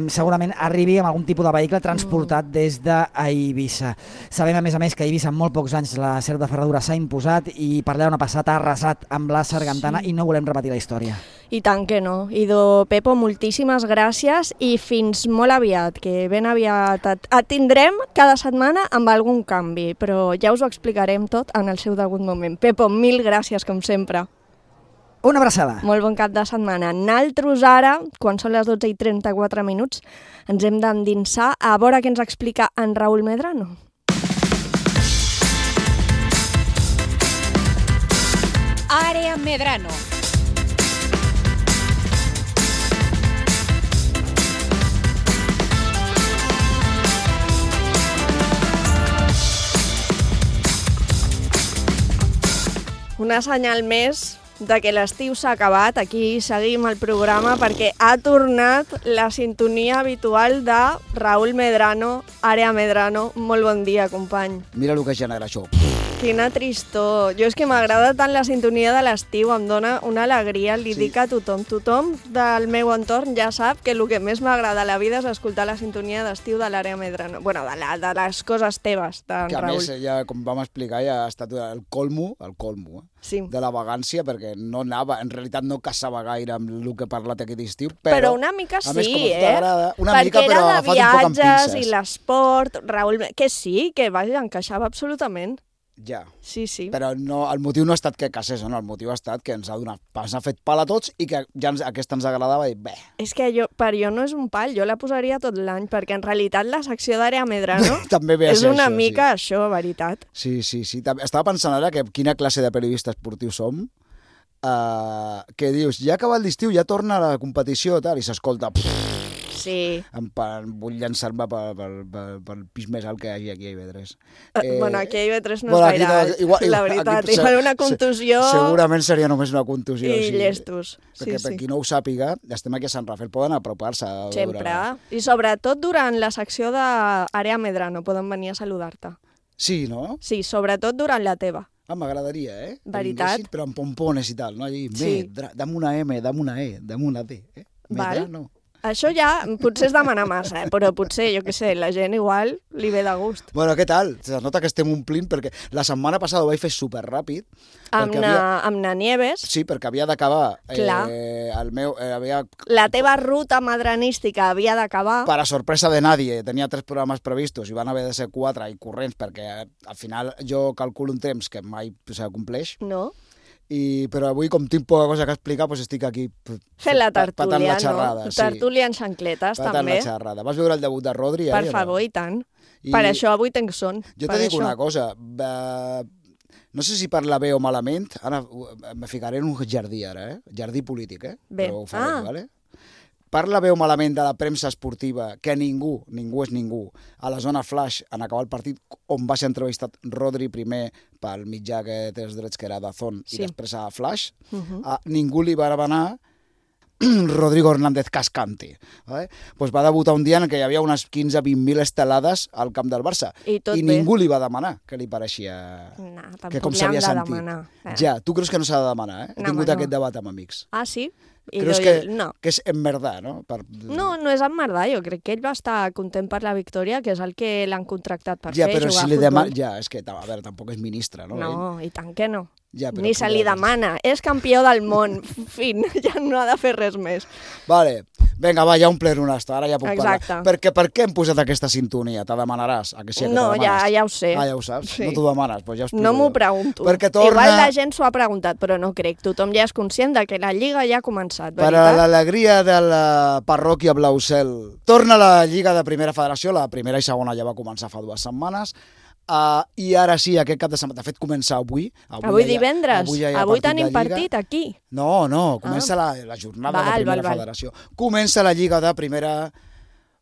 segurament arribi amb algun tipus de vehicle transportat des d'Eivissa. Sabem, a més, que a Eivissa en molt pocs anys la serp de ferradura s'ha imposat i per allà on ha passat ha arrasat amb la sargantana i no volem repetir la història. I tant que no. Idò, Pepo, moltíssimes gràcies i fins molt aviat, que ben aviat et tindrem cada setmana amb algun canvi, però ja us ho explicarem tot en el seu degut moment. Pepo, mil gràcies, com sempre. Una abraçada. Molt bon cap de setmana. Naltros ara, quan són les 12:34 minuts, ens hem d'endinsar a veure què ens explica en Raúl Medrano. Àrea Medrano. Una senyal més de que l'estiu s'ha acabat. Aquí seguim el programa perquè ha tornat la sintonia habitual de Raúl Medrano, Àrea Medrano. Molt bon dia, company. Mira el que genera això. Quina tristor. Jo és que m'agrada tant la sintonia de l'estiu, em dona una alegria, li dic a tothom. Tothom del meu entorn ja sap que el que més m'agrada a la vida és escoltar la sintonia d'estiu de l'Àrea Medrano. Bueno, de les coses teves, d'en Que a Raúl. més, ja, com vam explicar, ja ha estat el colmo Sí. de la vagància, perquè no anava, en realitat no caçava gaire amb el que he parlat aquest estiu, Però una mica a més, sí, com a tu t'agrada, una perquè mica, però era de agafat un poc amb viatges pinces. i l'esport, Raúl, que sí, que vaja, encaixava absolutament. Ja. Sí, sí. Però no, el motiu no ha estat que cassés, no? El motiu ha estat que ens ha fet pal a tots i que ja aquesta ens agradava i bé. És que per jo no és un pal, jo la posaria tot l'any, perquè en realitat la secció d'Àrea Medrano També ve a és ser una això, mica això, veritat. Sí. Estava pensant ara que quina classe de periodista esportiu som, que dius, ja ha acabat l'estiu, ja torna la competició, tal, i s'escolta... Sí. Vull llançar-me pel pis més alt que hi hagi aquí a IB3. Bueno, aquí a IB3 no és gaire alt, la veritat. Igual una contusió... Segurament seria només una contusió. I llestos. Perquè per qui no ho sàpiga, estem aquí a Sant Rafael, poden apropar-se. Sempre. I sobretot durant la secció d'Àrea Medrano poden venir a saludar-te. Sí, no? Sí, sobretot durant la teva. M'agradaria, Veritat? Però amb pompones i tal, no? Allí, dame una M, dame una E, dame una D. Medrano. Això ja potser és demanar massa, però potser, jo què sé, la gent igual li ve de gust. Bueno, què tal? Se nota que estem omplint perquè la setmana passada ho vaig fer superràpid. Amb na Nieves. Sí, perquè havia d'acabar la teva ruta medranística havia d'acabar. Per a sorpresa de nadie, tenia 3 programes previstos i van haver de ser 4 i corrents perquè al final jo calculo un temps que mai s'acompleix. No. Però avui, com tinc poca cosa que explicar, doncs estic aquí fent la tertúlia, patant la xerrada. No? Tertúlia en xancletes, patant també. La xerrada. Vas veure el debut de Rodri? Per favor, i tant. Per això avui tenc son. Jo te dic una cosa, no sé si parla bé o malament, ara me ficaré en un jardí ara, jardí polític, Bé. Però ho faré, vale? Parla bé o malament de la premsa esportiva, que ningú és ningú, a la zona flash, en acabar el partit, on va ser entrevistat Rodri primer pel mitjà que té els drets, que era Dazón, i després a Flash, ningú li va demanar Rodrigo Hernández Cascante. ¿vale? Pues va debutar un dia en què hi havia unes 15-20.000 estelades al camp del Barça. I ningú li va demanar que li pareixia... No, tampoc li han de demanar. Ja, tu creus que no s'ha de demanar, He tingut aquest debat amb amics. Ah, sí? Creus que és emmerdar, no? No és emmerdar. Jo crec que ell va estar content per la victòria, que és el que l'han contractat per fer, jugar a futbol. Si li demana... Ja, és que, a veure, tampoc és ministre, no? No, i tant que no. Ja, ni se li demana. És campió del món. Fin, ja no ha de fer res més. Vale. Vinga, va, ja omplem una estona, ara ja puc Exacte. parlar. Per què hem posat aquesta sintonia? Te demanaràs? A que sí, que no, ja ho sé. Ah, ja ho saps? Sí. No t'ho demanes? Pues ja no m'ho pregunto. Igual la gent s'ho ha preguntat, però no crec. Tothom ja és conscient de que la Lliga ja ha començat, veritat? Per a l'alegria de la parròquia Blaucel. Torna la Lliga de Primera Federació, la primera i segona ja va començar fa 2 setmanes. I ara sí, aquest cap de setmana, de fet comença avui. Avui divendres, avui tenim partit aquí. No, comença la jornada de Primera Federació. Comença la Lliga de Primera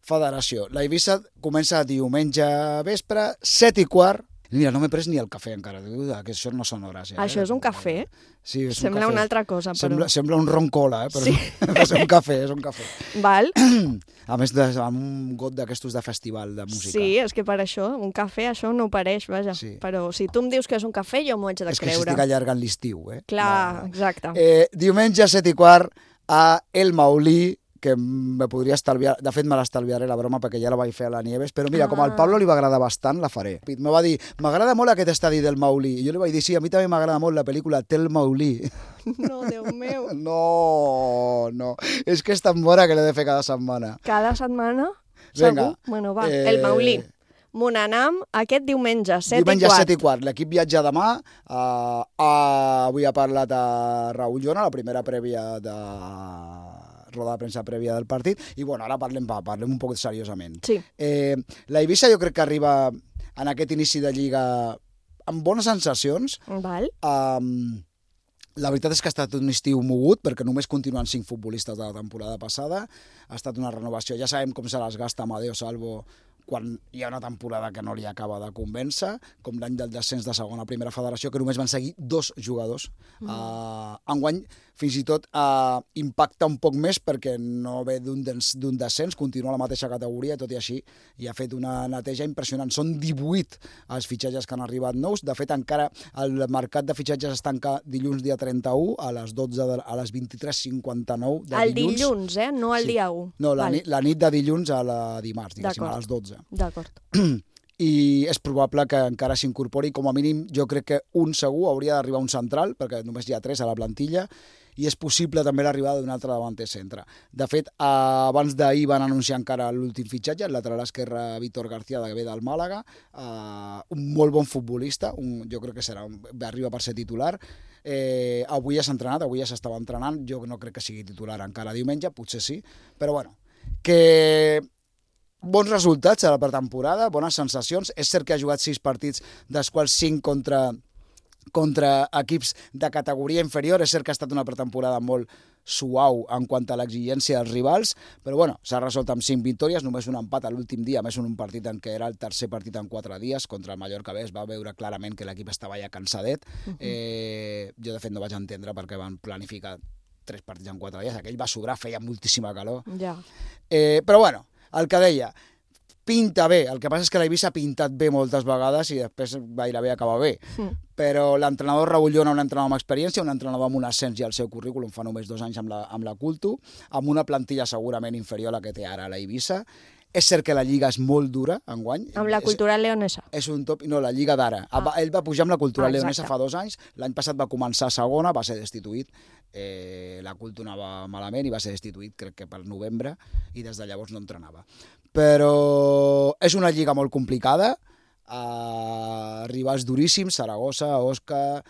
Federació. La Eivissa comença diumenge vespre, 7:15, Mira, no m'he pres ni el cafè encara, que això no són hores. Això és un cafè? Sí, és Sembla un cafè. una altra cosa, però... Sembla un ron cola, però sí. és un cafè, és un cafè. Val. A més, amb un got d'aquestos de festival de música. Sí, és que per això, un cafè, això no ho pareix, vaja. Sí. Però si tu em dius que és un cafè, jo m'ho haig de creure. És que s'estic allargant l'estiu, Clar, exacte. Diumenge 7:15 a El Maulí, que me podria estalviar, de fet me l'estalviaré la broma perquè ja la vaig fer a la Nieves, però mira, com al Pablo li va agradar bastant, la faré. Me va dir, m'agrada molt aquest estadi del Maulí, i jo li vaig dir, sí, a mi també m'agrada molt la pel·lícula Tel Maulí. No, Déu meu. No, és que és tan bona que l'he de fer cada setmana. Cada setmana? Vinga. Segur? Bueno, va, El Maulí. Monanam, aquest diumenge, 7:15. Diumenge 7:15. L'equip viatja demà. Avui ha parlat a Raül Llona, la primera prèvia de roda de premsa prèvia del partit, i bueno, ara parlem un poc seriosament. Sí. La Eivissa jo crec que arriba en aquest inici de Lliga amb bones sensacions. Val. La veritat és que ha estat un estiu mogut, perquè només continuen 5 futbolistes de la temporada passada. Ha estat una renovació. Ja sabem com se les gasta Amadeo Salvo quan hi ha una temporada que no li acaba de convèncer, com l'any del descens de segona a primera federació, que només van seguir 2 jugadors. Enguany, fins i tot impacta un poc més perquè no ve d'un descens, continua a la mateixa categoria, tot i així i ha fet una neteja impressionant. Són 18 els fitxatges que han arribat nous. De fet, encara el mercat de fitxatges es tanca dilluns dia 31 a les 23:59 de dilluns. El dilluns, no el dia 1. No, la nit de dilluns a la dimarts, diguéssim, a les 12. D'acord. I és probable que encara s'incorpori, com a mínim, jo crec que un segur hauria d'arribar un central, perquè només hi ha 3 a la plantilla, i és possible també l'arribada d'un altre davanter centre. De fet, abans d'ahir van anunciar encara l'últim fitxatge, el lateral esquerre Víctor García, que ve del Màlaga, un molt bon futbolista, jo crec que arriba per ser titular. Avui ja s'ha entrenat, avui ja s'estava entrenant, jo no crec que sigui titular encara diumenge, potser sí, però bueno, que bons resultats a la pretemporada, bones sensacions. És cert que ha jugat 6 partits, dels quals 5 contra equips de categoria inferior. És cert que ha estat una pretemporada molt suau en quant a l'exigència dels rivals, però bueno, s'ha resolt amb 5 victòries, només un empat a l'últim dia, més un partit en què era el tercer partit en 4 dies, contra el Mallorca B. Es va veure clarament que l'equip estava ja cansadet. Jo, de fet, no vaig entendre perquè van planificar 3 partits en 4 dies. Aquell va sobrar, feia moltíssima calor. Ja. Però bueno, el que deia, pinta bé. El que passa és que l'Eivissa ha pintat bé moltes vegades i després gairebé acaba bé. Però l'entrenador Raül Llona, un entrenador amb experiència, un entrenador amb un ascens ja al seu currículum, fa només 2 anys amb la Culto, amb una plantilla segurament inferior a la que té ara l'Eivissa. És cert que la Lliga és molt dura enguany. Amb la Cultural Leonesa. És un top... No, la Lliga d'ara. Ell va pujar amb la Cultural Leonesa fa 2 anys. L'any passat va començar a segona, va ser destituït. La Culto anava malament i va ser destituït, crec que pel novembre, i des de llavors no entrenava. Però és una Lliga molt complicada. Rivals duríssims, Saragossa, Osca,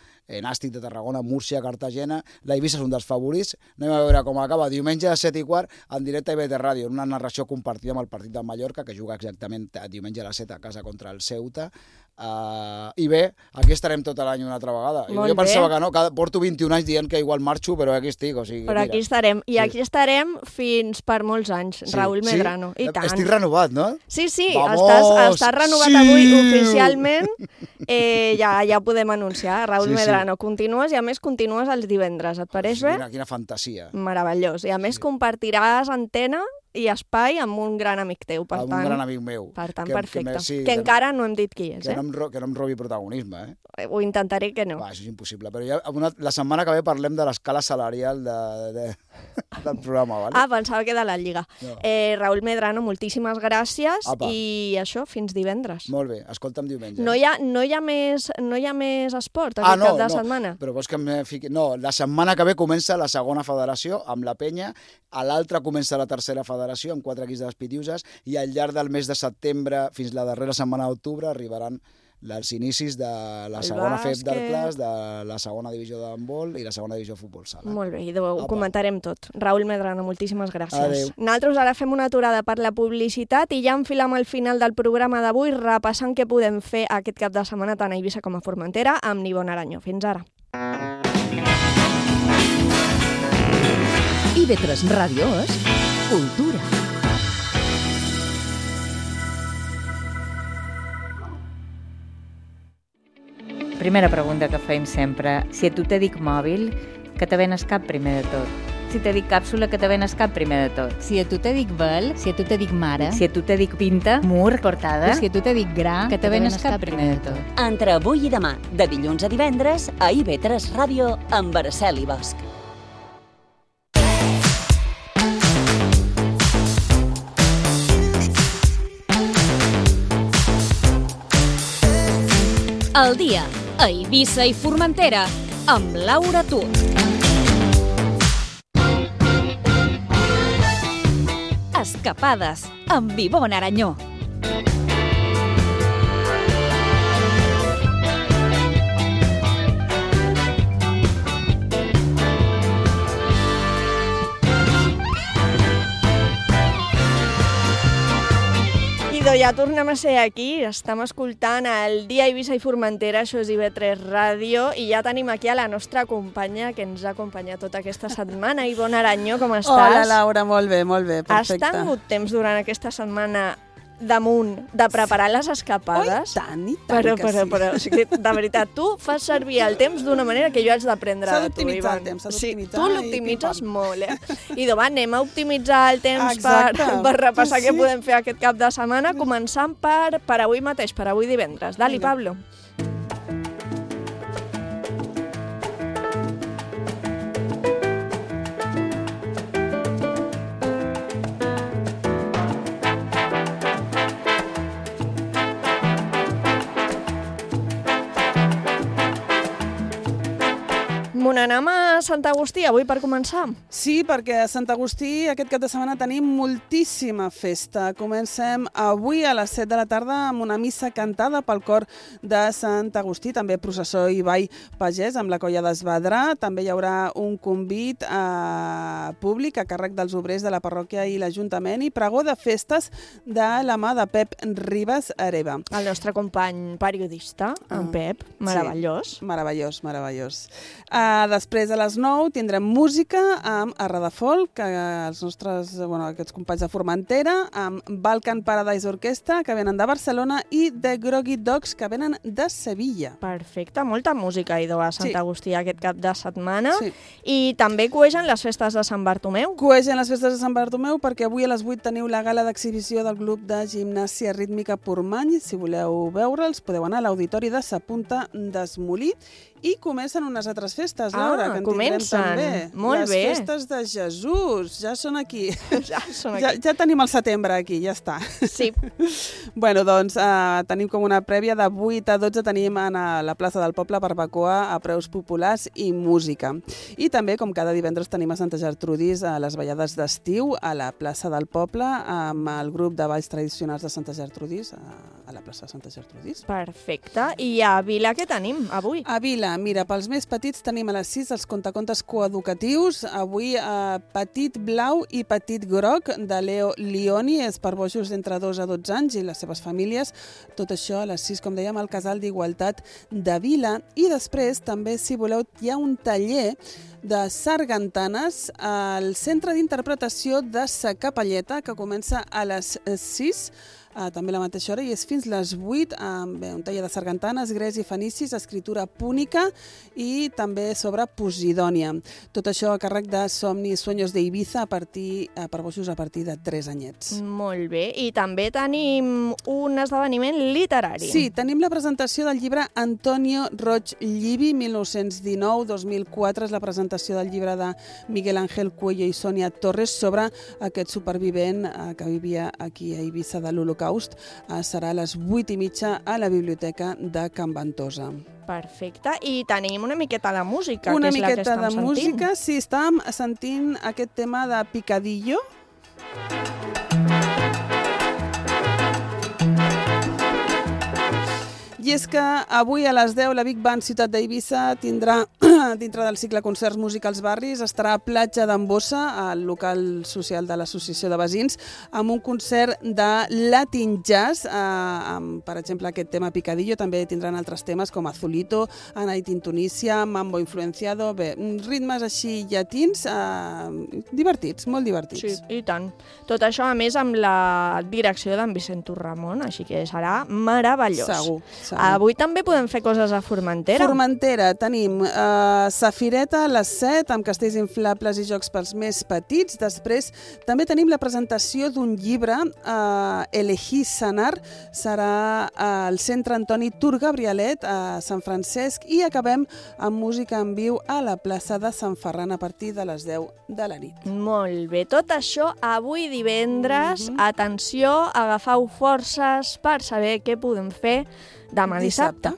Nàstic de Tarragona, Múrcia, Cartagena. L'Eivissa és un dels favorits. Anem a veure com acaba. Diumenge a 7:15 en directe a IBT Ràdio, una narració compartida amb el partit del Mallorca, que juga exactament diumenge a les 7 a casa contra el Ceuta. I bé, aquí estarem tot l'any una altra vegada. Jo pensava que no, porto 21 anys dient que igual marxo, però aquí estic. O sigui, però aquí estarem. I aquí estarem fins per molts anys, Raül Medrano. I tant. Estic renovat, no? Sí, estàs renovat avui oficialment. Ja ho podem anunciar. Raül Medrano, continues i a més continues els divendres. Et pareix bé? Quina fantasia. Meravellós. I a més compartiràs antena i espai amb un gran amic teu, per tant... Amb un gran amic meu. Per tant, perfecte. Que encara no hem dit qui és, que no em robi protagonisme, Ho intentaré que no. Això és impossible, però ja la setmana que ve parlem de l'escala salarial del programa, ¿vale? Pensava que de la Lliga. No. Raül Medrano, moltíssimes gràcies. I això, fins divendres. Molt bé, escolta'm diumenge. No hi ha més esport aquest cap de setmana? Però vols que em fiqui... No, la setmana que ve comença la segona federació amb la Penya, a l'altra comença la tercera federació amb 4 equips de les Pitiuses i al llarg del mes de setembre fins la darrera setmana d'octubre arribaran els inicis de la segona FEP d'Arclas, de la segona divisió d'handbol i la segona divisió de futbol sala. Molt bé, ho comentarem tot. Raül Medrano, moltíssimes gràcies. Adéu. Nosaltres ara fem una aturada per la publicitat i ja enfilem al final del programa d'avui repassant què podem fer aquest cap de setmana tant a Eivissa com a Formentera amb Nivon Aranyo. Fins ara. IB3 Ràdio és cultura. primera pregunta que feim sempre. Si a tu te dic mòbil, que te ven al cap primer de tot? Si te dic càpsula, que te ven al cap primer de tot? Si a tu te dic vel, si a tu te dic mare, Si a tu te dic pinta, mur, portada, si a tu te dic gra, que te ven al cap primer de tot? Entre avui i demà, de dilluns a divendres, a IB3 Ràdio, amb Araceli Bosch. El dia a Eivissa i Formentera amb Laura Tur. Escapades amb Ivonne Aranyó. Ja tornem a ser aquí, estem escoltant el Dia Eivissa i Formentera, això és IB3 Ràdio, i ja tenim aquí a la nostra companya que ens ha acompanyat tota aquesta setmana. Ivonne Aranyó, com estàs? Hola, Laura, molt bé, perfecte. Has tingut temps durant aquesta setmana damunt de preparar les escapades? Oh, i tant que sí. Però, o sigui, de veritat, tu fas servir el temps d'una manera que jo haig d'aprendre de tu, Ivonne. S'ha d'optimitzar el temps, s'ha d'optimitzar. Sí, tu l'optimitzes molt, I va, anem a optimitzar el temps per repassar què podem fer aquest cap de setmana, començant per avui mateix, per avui divendres. Dali, Pablo. Anem a Sant Agustí avui per començar? Sí, perquè a Sant Agustí aquest cap de setmana tenim moltíssima festa. Comencem avui a les 7 de la tarda amb una missa cantada pel cor de Sant Agustí, també processó i ball pagès amb la colla d'Esbadrà. També hi haurà un convit públic a càrrec dels obrers de la parròquia i l'Ajuntament i pregó de festes de la mà de Pep Ribas Hereva. El nostre company periodista, en Pep, meravellós. Sí, meravellós. Després a les 9 tindrem música amb Arradafolk, que els nostres, aquests companys de Formentera, amb Balkan Paradise Orquestra, que venen de Barcelona, i The Groggy Dogs, que venen de Sevilla. Perfecte, molta música idò a Sant Agustí aquest cap de setmana. Sí. I també coegen les festes de Sant Bartomeu? Coegen les festes de Sant Bartomeu perquè avui a les 8 teniu la gala d'exhibició del grup de gimnàsia rítmica Portmany. Si voleu veure'ls, podeu anar a l'Auditori de Sa Punta d'Esmolí. I comencen unes altres festes, Laura, que en tindrem també. Molt bé. Les festes de Jesús, ja són aquí. Ja tenim el setembre aquí, ja està. Sí. Bueno, doncs tenim com una prèvia de 8 a 12 tenim a la plaça del Poble barbacoa a preus populars i música. I també, com cada divendres, tenim a Santa Gertrudis a les ballades d'estiu a la plaça del Poble amb el grup de balls tradicionals de Santa Gertrudis a la plaça de Santa Gertrudis. Perfecte. I a Vila què tenim avui? A Vila, mira, pels més petits tenim a les 6 els contacontes coeducatius. Avui Petit Blau i Petit Groc de Leo Lioni, és per bojos d'entre 2 a 12 anys i les seves famílies. Tot això a les 6, com dèiem, al Casal d'Igualtat de Vila. I després també, si voleu, hi ha un taller de sargantanes al Centre d'Interpretació de Sa Capelleta, que comença a les 6, també a la mateixa hora, i és fins les 8, amb un taller de sargantanes, grecs i fenicis, escritura púnica i també sobre Posidònia. Tot això a càrrec de Somni Sueños de Ibiza per bojos a partir de 3 anyets. Molt bé, i també tenim un esdeveniment literari. Sí, tenim la presentació del llibre Antonio Roig Llivi, 1919-2004, és la presentació del llibre de Miguel Ángel Cuello i Sònia Torres sobre aquest supervivent que vivia aquí a Ibiza de l'Holocaust. Serà a les 8:30 a la biblioteca de Can Ventosa. Perfecte. I tenim una miqueta de música, que és la que estem sentint. Una miqueta de música, sí, estàvem sentint aquest tema de Picadillo. I és que avui a les 10 la Big Band Ciutat d'Eivissa tindrà, dintre del cicle Concerts Musicals Barris, estarà a Platja d'en Bossa, al local social de l'Associació de Veïns, amb un concert de Latin Jazz, amb, per exemple, aquest tema Picadillo. També tindran altres temes com Azulito, A Night in Tunisia, Mambo Influenciado, bé, ritmes així llatins, divertits, molt divertits. Sí, i tant. Tot això, a més, amb la direcció d'en Vicent Ramon, així que serà meravellós. Segur. Avui també podem fer coses a Formentera. Formentera, tenim Safireta a les 7, amb castells inflables i jocs pels més petits. Després també tenim la presentació d'un llibre, Elegir Sanar, serà al Centre Antoni Tur Gabrielet, a Sant Francesc, i acabem amb música en viu a la plaça de Sant Ferran a partir de les 10 de la nit. Molt bé, tot això avui divendres. Atenció, agafeu forces per saber què podem fer demà dissabte.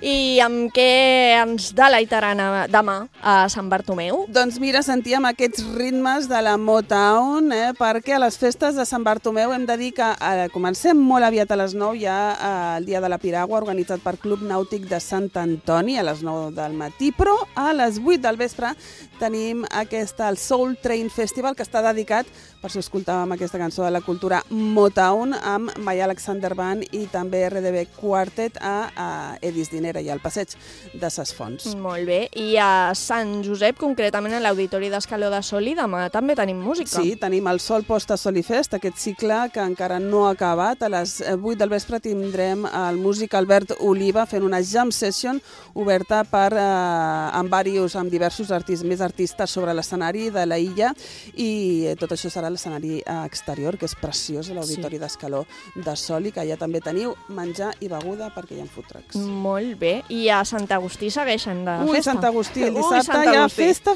I amb què ens deleitaran demà a Sant Bartomeu? Doncs mira, sentíem aquests ritmes de la Motown, perquè a les festes de Sant Bartomeu hem de dir que comencem molt aviat a les 9, ja el Dia de la Piragua, organitzat per Club Nàutic de Sant Antoni, a les 9 del matí, però a les 8 del vespre tenim el Soul Train Festival, que està dedicat, per si escoltàvem aquesta cançó de la cultura Motown, amb Maya Alexander Band i també RDB Quartet a Edis Dinera i al passeig de Ses Fonts. Molt bé. I a Sant Josep, concretament a l'Auditori d'Escaló de Soli, demà també tenim música. Sí, tenim el Sol Posta Solifest, aquest cicle que encara no ha acabat. A les 8 del vespre tindrem el músic Albert Oliva fent una jam session oberta amb diversos artistes sobre l'escenari de la illa, i tot això serà l'escenari exterior, que és preciós, l'Auditori d'Escaló de Soli, que allà també teniu menjar i beguda perquè hi ha food trucks. Molt bé. I a Sant Agustí segueixen de festa. Sant Agustí, el dissabte hi ha festa.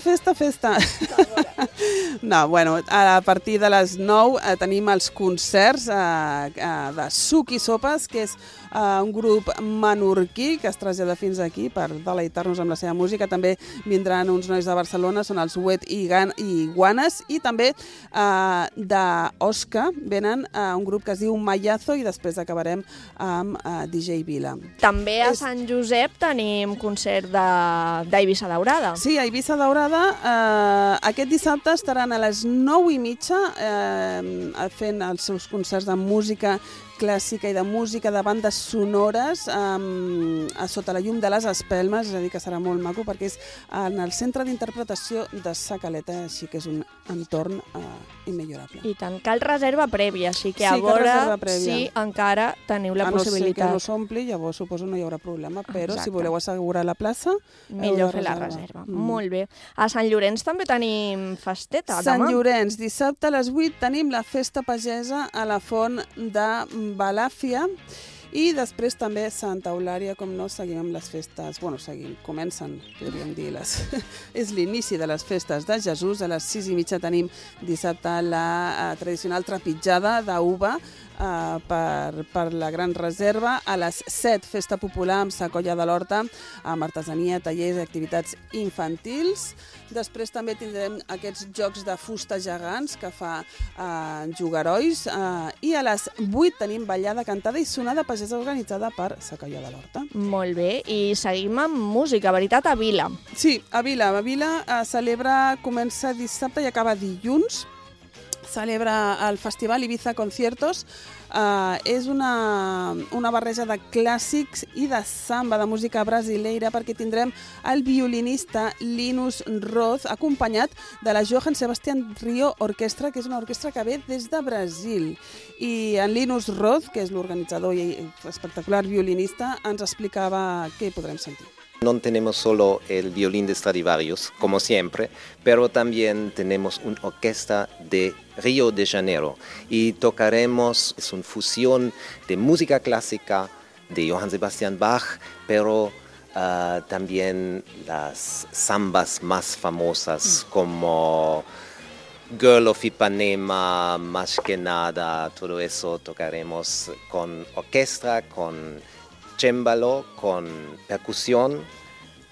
No, bueno, a partir de les 9 tenim els concerts de Suc i Sopes, que és un grup menorquí que es trasllada fins aquí per deleitar-nos amb la seva música. També vindran uns nois de Barcelona, són els Wet i Guanes, i també d'Osca venen un grup que es diu Mayazo, i després acabarem amb DJ Vila. També a Sant Josep tenim concert d'Eivissa Daurada. Sí, a Eivissa Daurada aquest dissabte estaran a les 9:30 fent els seus concerts de música clàssica i de música de bandes sonores sota la llum de les espelmes, és a dir, que serà molt maco perquè és en el centre d'interpretació de Sa Caleta, així que és un entorn immillorable. I tant, cal reserva prèvia, així que a veure si encara teniu la possibilitat. A no ser que no s'ompli, llavors suposo no hi haurà problema, però si voleu assegurar la plaça, millor fer la reserva. Molt bé. A Sant Llorenç també tenim festeta demà. Sant Llorenç, dissabte a les 8 tenim la festa pagesa a la font de Balàfia, i després també Santa Eulària, com no, seguim amb les festes, comencen, podríem dir, és l'inici de les festes de Jesús. A les 6:30 tenim dissabte la tradicional trepitjada d'uva per la Gran Reserva. A les 7, festa popular amb Sa Colla de l'Horta, amb artesania, tallers i activitats infantils. Després també tindrem aquests jocs de fusta gegants que fa Jugarois, i a les 8 tenim ballada, cantada i sonada pagesa organitzada per Sa Colla de l'Horta. Molt bé, i seguim amb música, veritat, a Vila. Sí, a Vila. A Vila comença dissabte i acaba dilluns. Celebra el festival Ibiza Conciertos. És una barreja de clàssics i de samba, de música brasileira, perquè tindrem el violinista Linus Roth, acompanyat de la Johann Sebastian Rio Orquestra, que és una orquestra que ve des de Brasil. I en Linus Roth, que és l'organitzador i espectacular violinista, ens explicava què podrem sentir. No tenemos solo el violín de Stradivarius, como siempre, pero también tenemos una orquesta de Río de Janeiro y tocaremos, es una fusión de música clásica de Johann Sebastian Bach, pero también las zambas más famosas como Girl of Ipanema, Más que nada, todo eso tocaremos con orquesta, con cembalo, con percusión,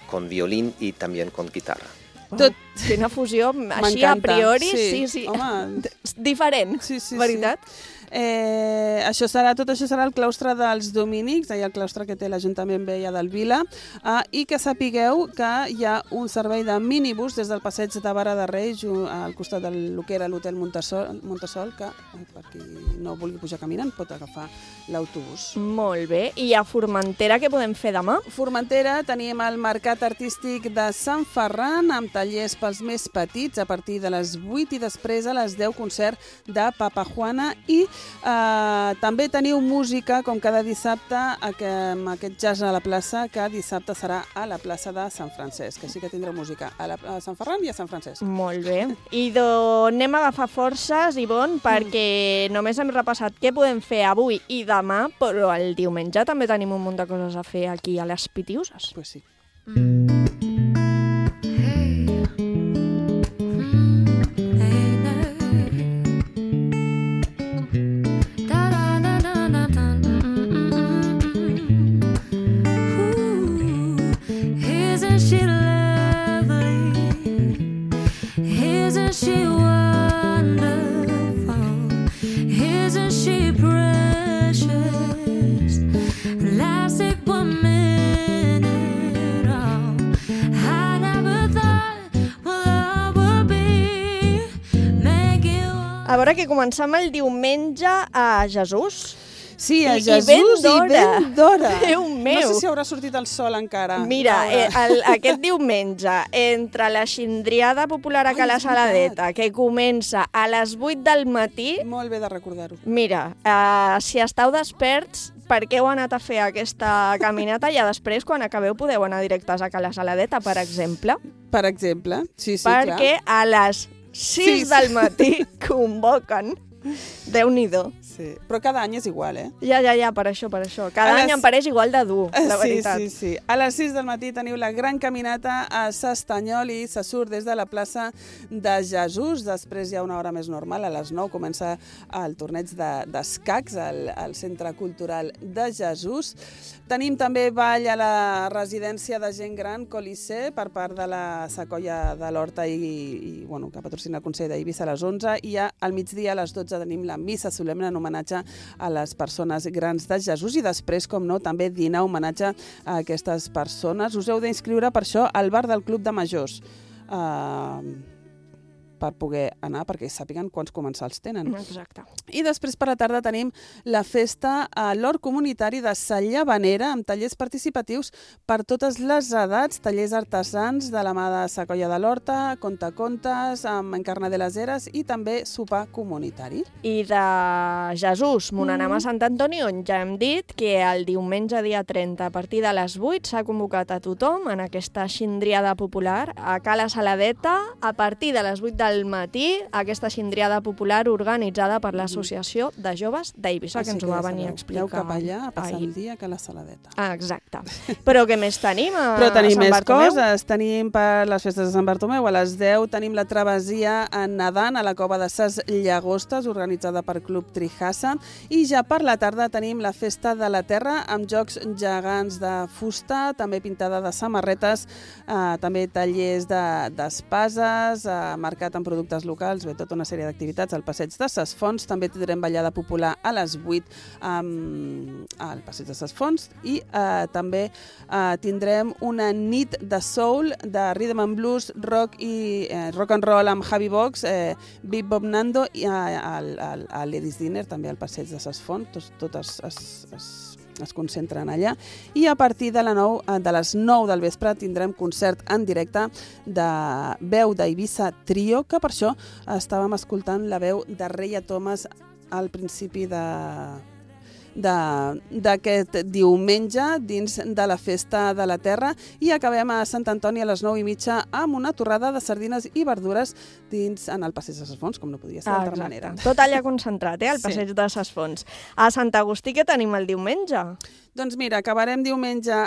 con violín y también con guitarra. Tot. Quina fusió, així a priori, sí. Home, diferent, veritat? Tot això serà el claustre dels Domínics, el claustre que té l'Ajuntament Vella del Vila, i que sapigueu que hi ha un servei de minibús des del passeig de Vara de Reis al costat del que era l'hotel Montesol, que per qui no vulgui pujar caminant pot agafar l'autobús. Molt bé. I a Formentera què podem fer demà? Formentera tenim el Mercat Artístic de Sant Ferran amb tallers pels més petits a partir de les 8 i després a les 10 concert de Papa Juana i també teniu música com cada dissabte amb aquest jazz a la plaça que dissabte serà a la plaça de Sant Francesc, així que tindreu música a Sant Ferran i a Sant Francesc. Molt bé. I anem a agafar forces, Ivonne, perquè només hem repassat què podem fer avui i demà, però el diumenge també tenim un munt de coses a fer aquí a les Pitiuses. Pues sí. A veure que començam el diumenge a Jesús. Sí, a Jesús i ben d'hora. Déu meu. No sé si haurà sortit el sol encara. Mira, aquest diumenge, entre la xindriada popular a Cala Saladeta, que comença a les 8 del matí... Molt bé de recordar-ho. Mira, si esteu desperts, per què heu anat a fer aquesta caminata i després, quan acabeu, podeu anar directes a Cala Saladeta, per exemple? Per exemple, sí, clar. Perquè a les 6 del matí convoquen. Déu-n'hi-do. Sí. Però cada any és igual, Ja, per això. Cada any em pareix igual de dur, la veritat. Sí. A les 6 del matí teniu la gran caminata a s'Estanyol i se surt des de la plaça de Jesús. Després hi ha una hora més normal, a les 9 comença el torneig d'escacs al Centre Cultural de Jesús. Tenim també ball a la residència de gent gran Colisée per part de la Secolla de l'Horta que patrocina el Consell d'Eivissa a les 11 i al migdia a les 12 tenim la missa solemne en homenatge a les persones grans de Jesús i després, com no, també dinar homenatge a aquestes persones. Us heu d'inscriure per això al bar del Club de Majors. Per poder anar, perquè sàpiguen quants comensals tenen. Exacte. I després per la tarda tenim la festa a l'Hort Comunitari de Sa Llavanera amb tallers participatius per totes les edats, tallers artesans de la mà de Secolla de l'Horta, contacontes, amb Encarna de les Heres i també sopar comunitari. I de Jesús, Monanam a Sant Antoni, on ja hem dit que el diumenge dia 30 a partir de les 8 s'ha convocat a tothom en aquesta xindriada popular a Cala Saladeta a partir de les 8 del matí, aquesta xindriada popular organitzada per l'Associació de Joves d'Eivissa, que ens ho va venir a explicar. Aneu cap allà a passar el dia a Cala Saladeta. Exacte. Però què més tenim a Sant Bartomeu? Però tenim més coses. Tenim per les festes de Sant Bartomeu. A les 10 tenim la travessia nedant a la cova de Ses Llagostes, organitzada per Club Trijassa. I ja per la tarda tenim la festa de la terra amb jocs gegants de fusta, també pintada de samarretes, també tallers d'espases, mercat amb productes locals, tota una sèrie d'activitats al passeig de Ses Fonts. També tindrem ballada popular a les 8 al passeig de Ses Fonts i també tindrem una nit de soul, de rhythm and blues, rock i rock and roll amb Javi Box, Big Bob Nando i a Ladies Dinner també al passeig de Ses Fonts. Totes es concentren allà i a partir de les 9 del vespre tindrem concert en directe de veu d'Eivissa Trio, que per això estàvem escoltant la veu de Reia Thomas al principi d'aquest diumenge dins de la Festa de la Terra i acabem a Sant Antoni a les 9:30 amb una torrada de sardines i verdures en el passeig de Ses Fonts, com no podia ser d'altra manera. Tot allà concentrat, al passeig de Ses Fonts. A Sant Agustí què tenim el diumenge? Doncs mira, acabarem diumenge...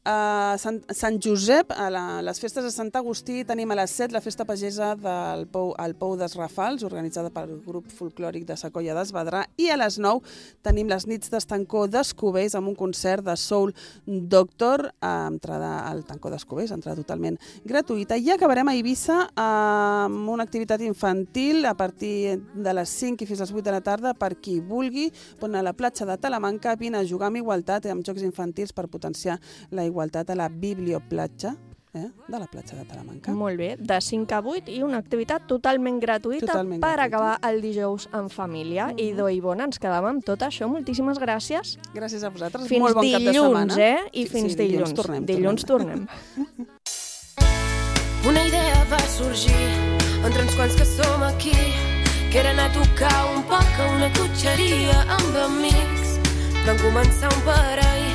A Sant Josep, a les festes de Sant Agustí, tenim a les 7 la festa pagesa del Pou dels Rafals, organitzada pel grup folclòric de Sacolla d'Esbadrà, i a les 9 tenim les nits d'Estancó d'Escobells amb un concert de Soul Doctor, entrada al Tancó d'Escobells, entrada totalment gratuïta. I acabarem a Eivissa amb una activitat infantil a partir de les 5 i fins a les 8 de la tarda per qui vulgui. Ponen a la platja de Talamanca, vine a jugar amb igualtat amb jocs infantils per potenciar la igualtat a la biblioplatja de la platja de Talamanca. Molt bé, de 5 a 8 i una activitat totalment gratuïta per acabar el dijous en família. Idò i Bona, ens quedàvem amb tot això. Moltíssimes gràcies. Gràcies a vosaltres. Fins Molt bon cap de dilluns, setmana. I fins dilluns. Dilluns tornem. Una idea va sorgir entre uns quants que som aquí, que era anar a tocar un poc a una cotxeria amb amics. Vam començar un parell,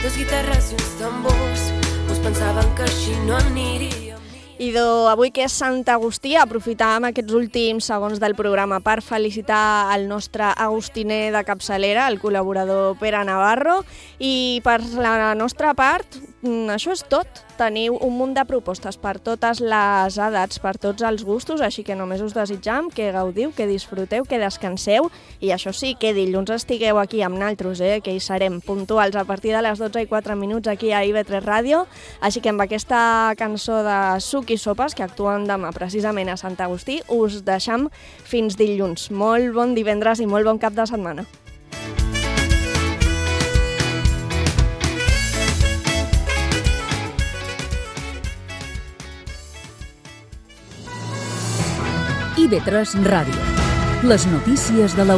2 guitarres i uns tambors. Us pensaven que així no aniria. Idò, avui que és Sant Agustí, aprofitàvem aquests últims segons del programa per felicitar el nostre agustiner de capçalera, el col·laborador Pere Navarro, i per la nostra part, això és tot. Teniu un munt de propostes per totes les edats, per tots els gustos, així que només us desitjam que gaudiu, que disfruteu, que descanseu, i això sí, que dilluns estigueu aquí amb naltros, que hi serem puntuals a partir de les 12:04 aquí a IB3 Ràdio, així que amb aquesta cançó de Suc i Sopes, que actuen demà precisament a Sant Agustí, us deixam fins dilluns. Molt bon divendres i molt bon cap de setmana. IB3 Ràdio. Les notícies de la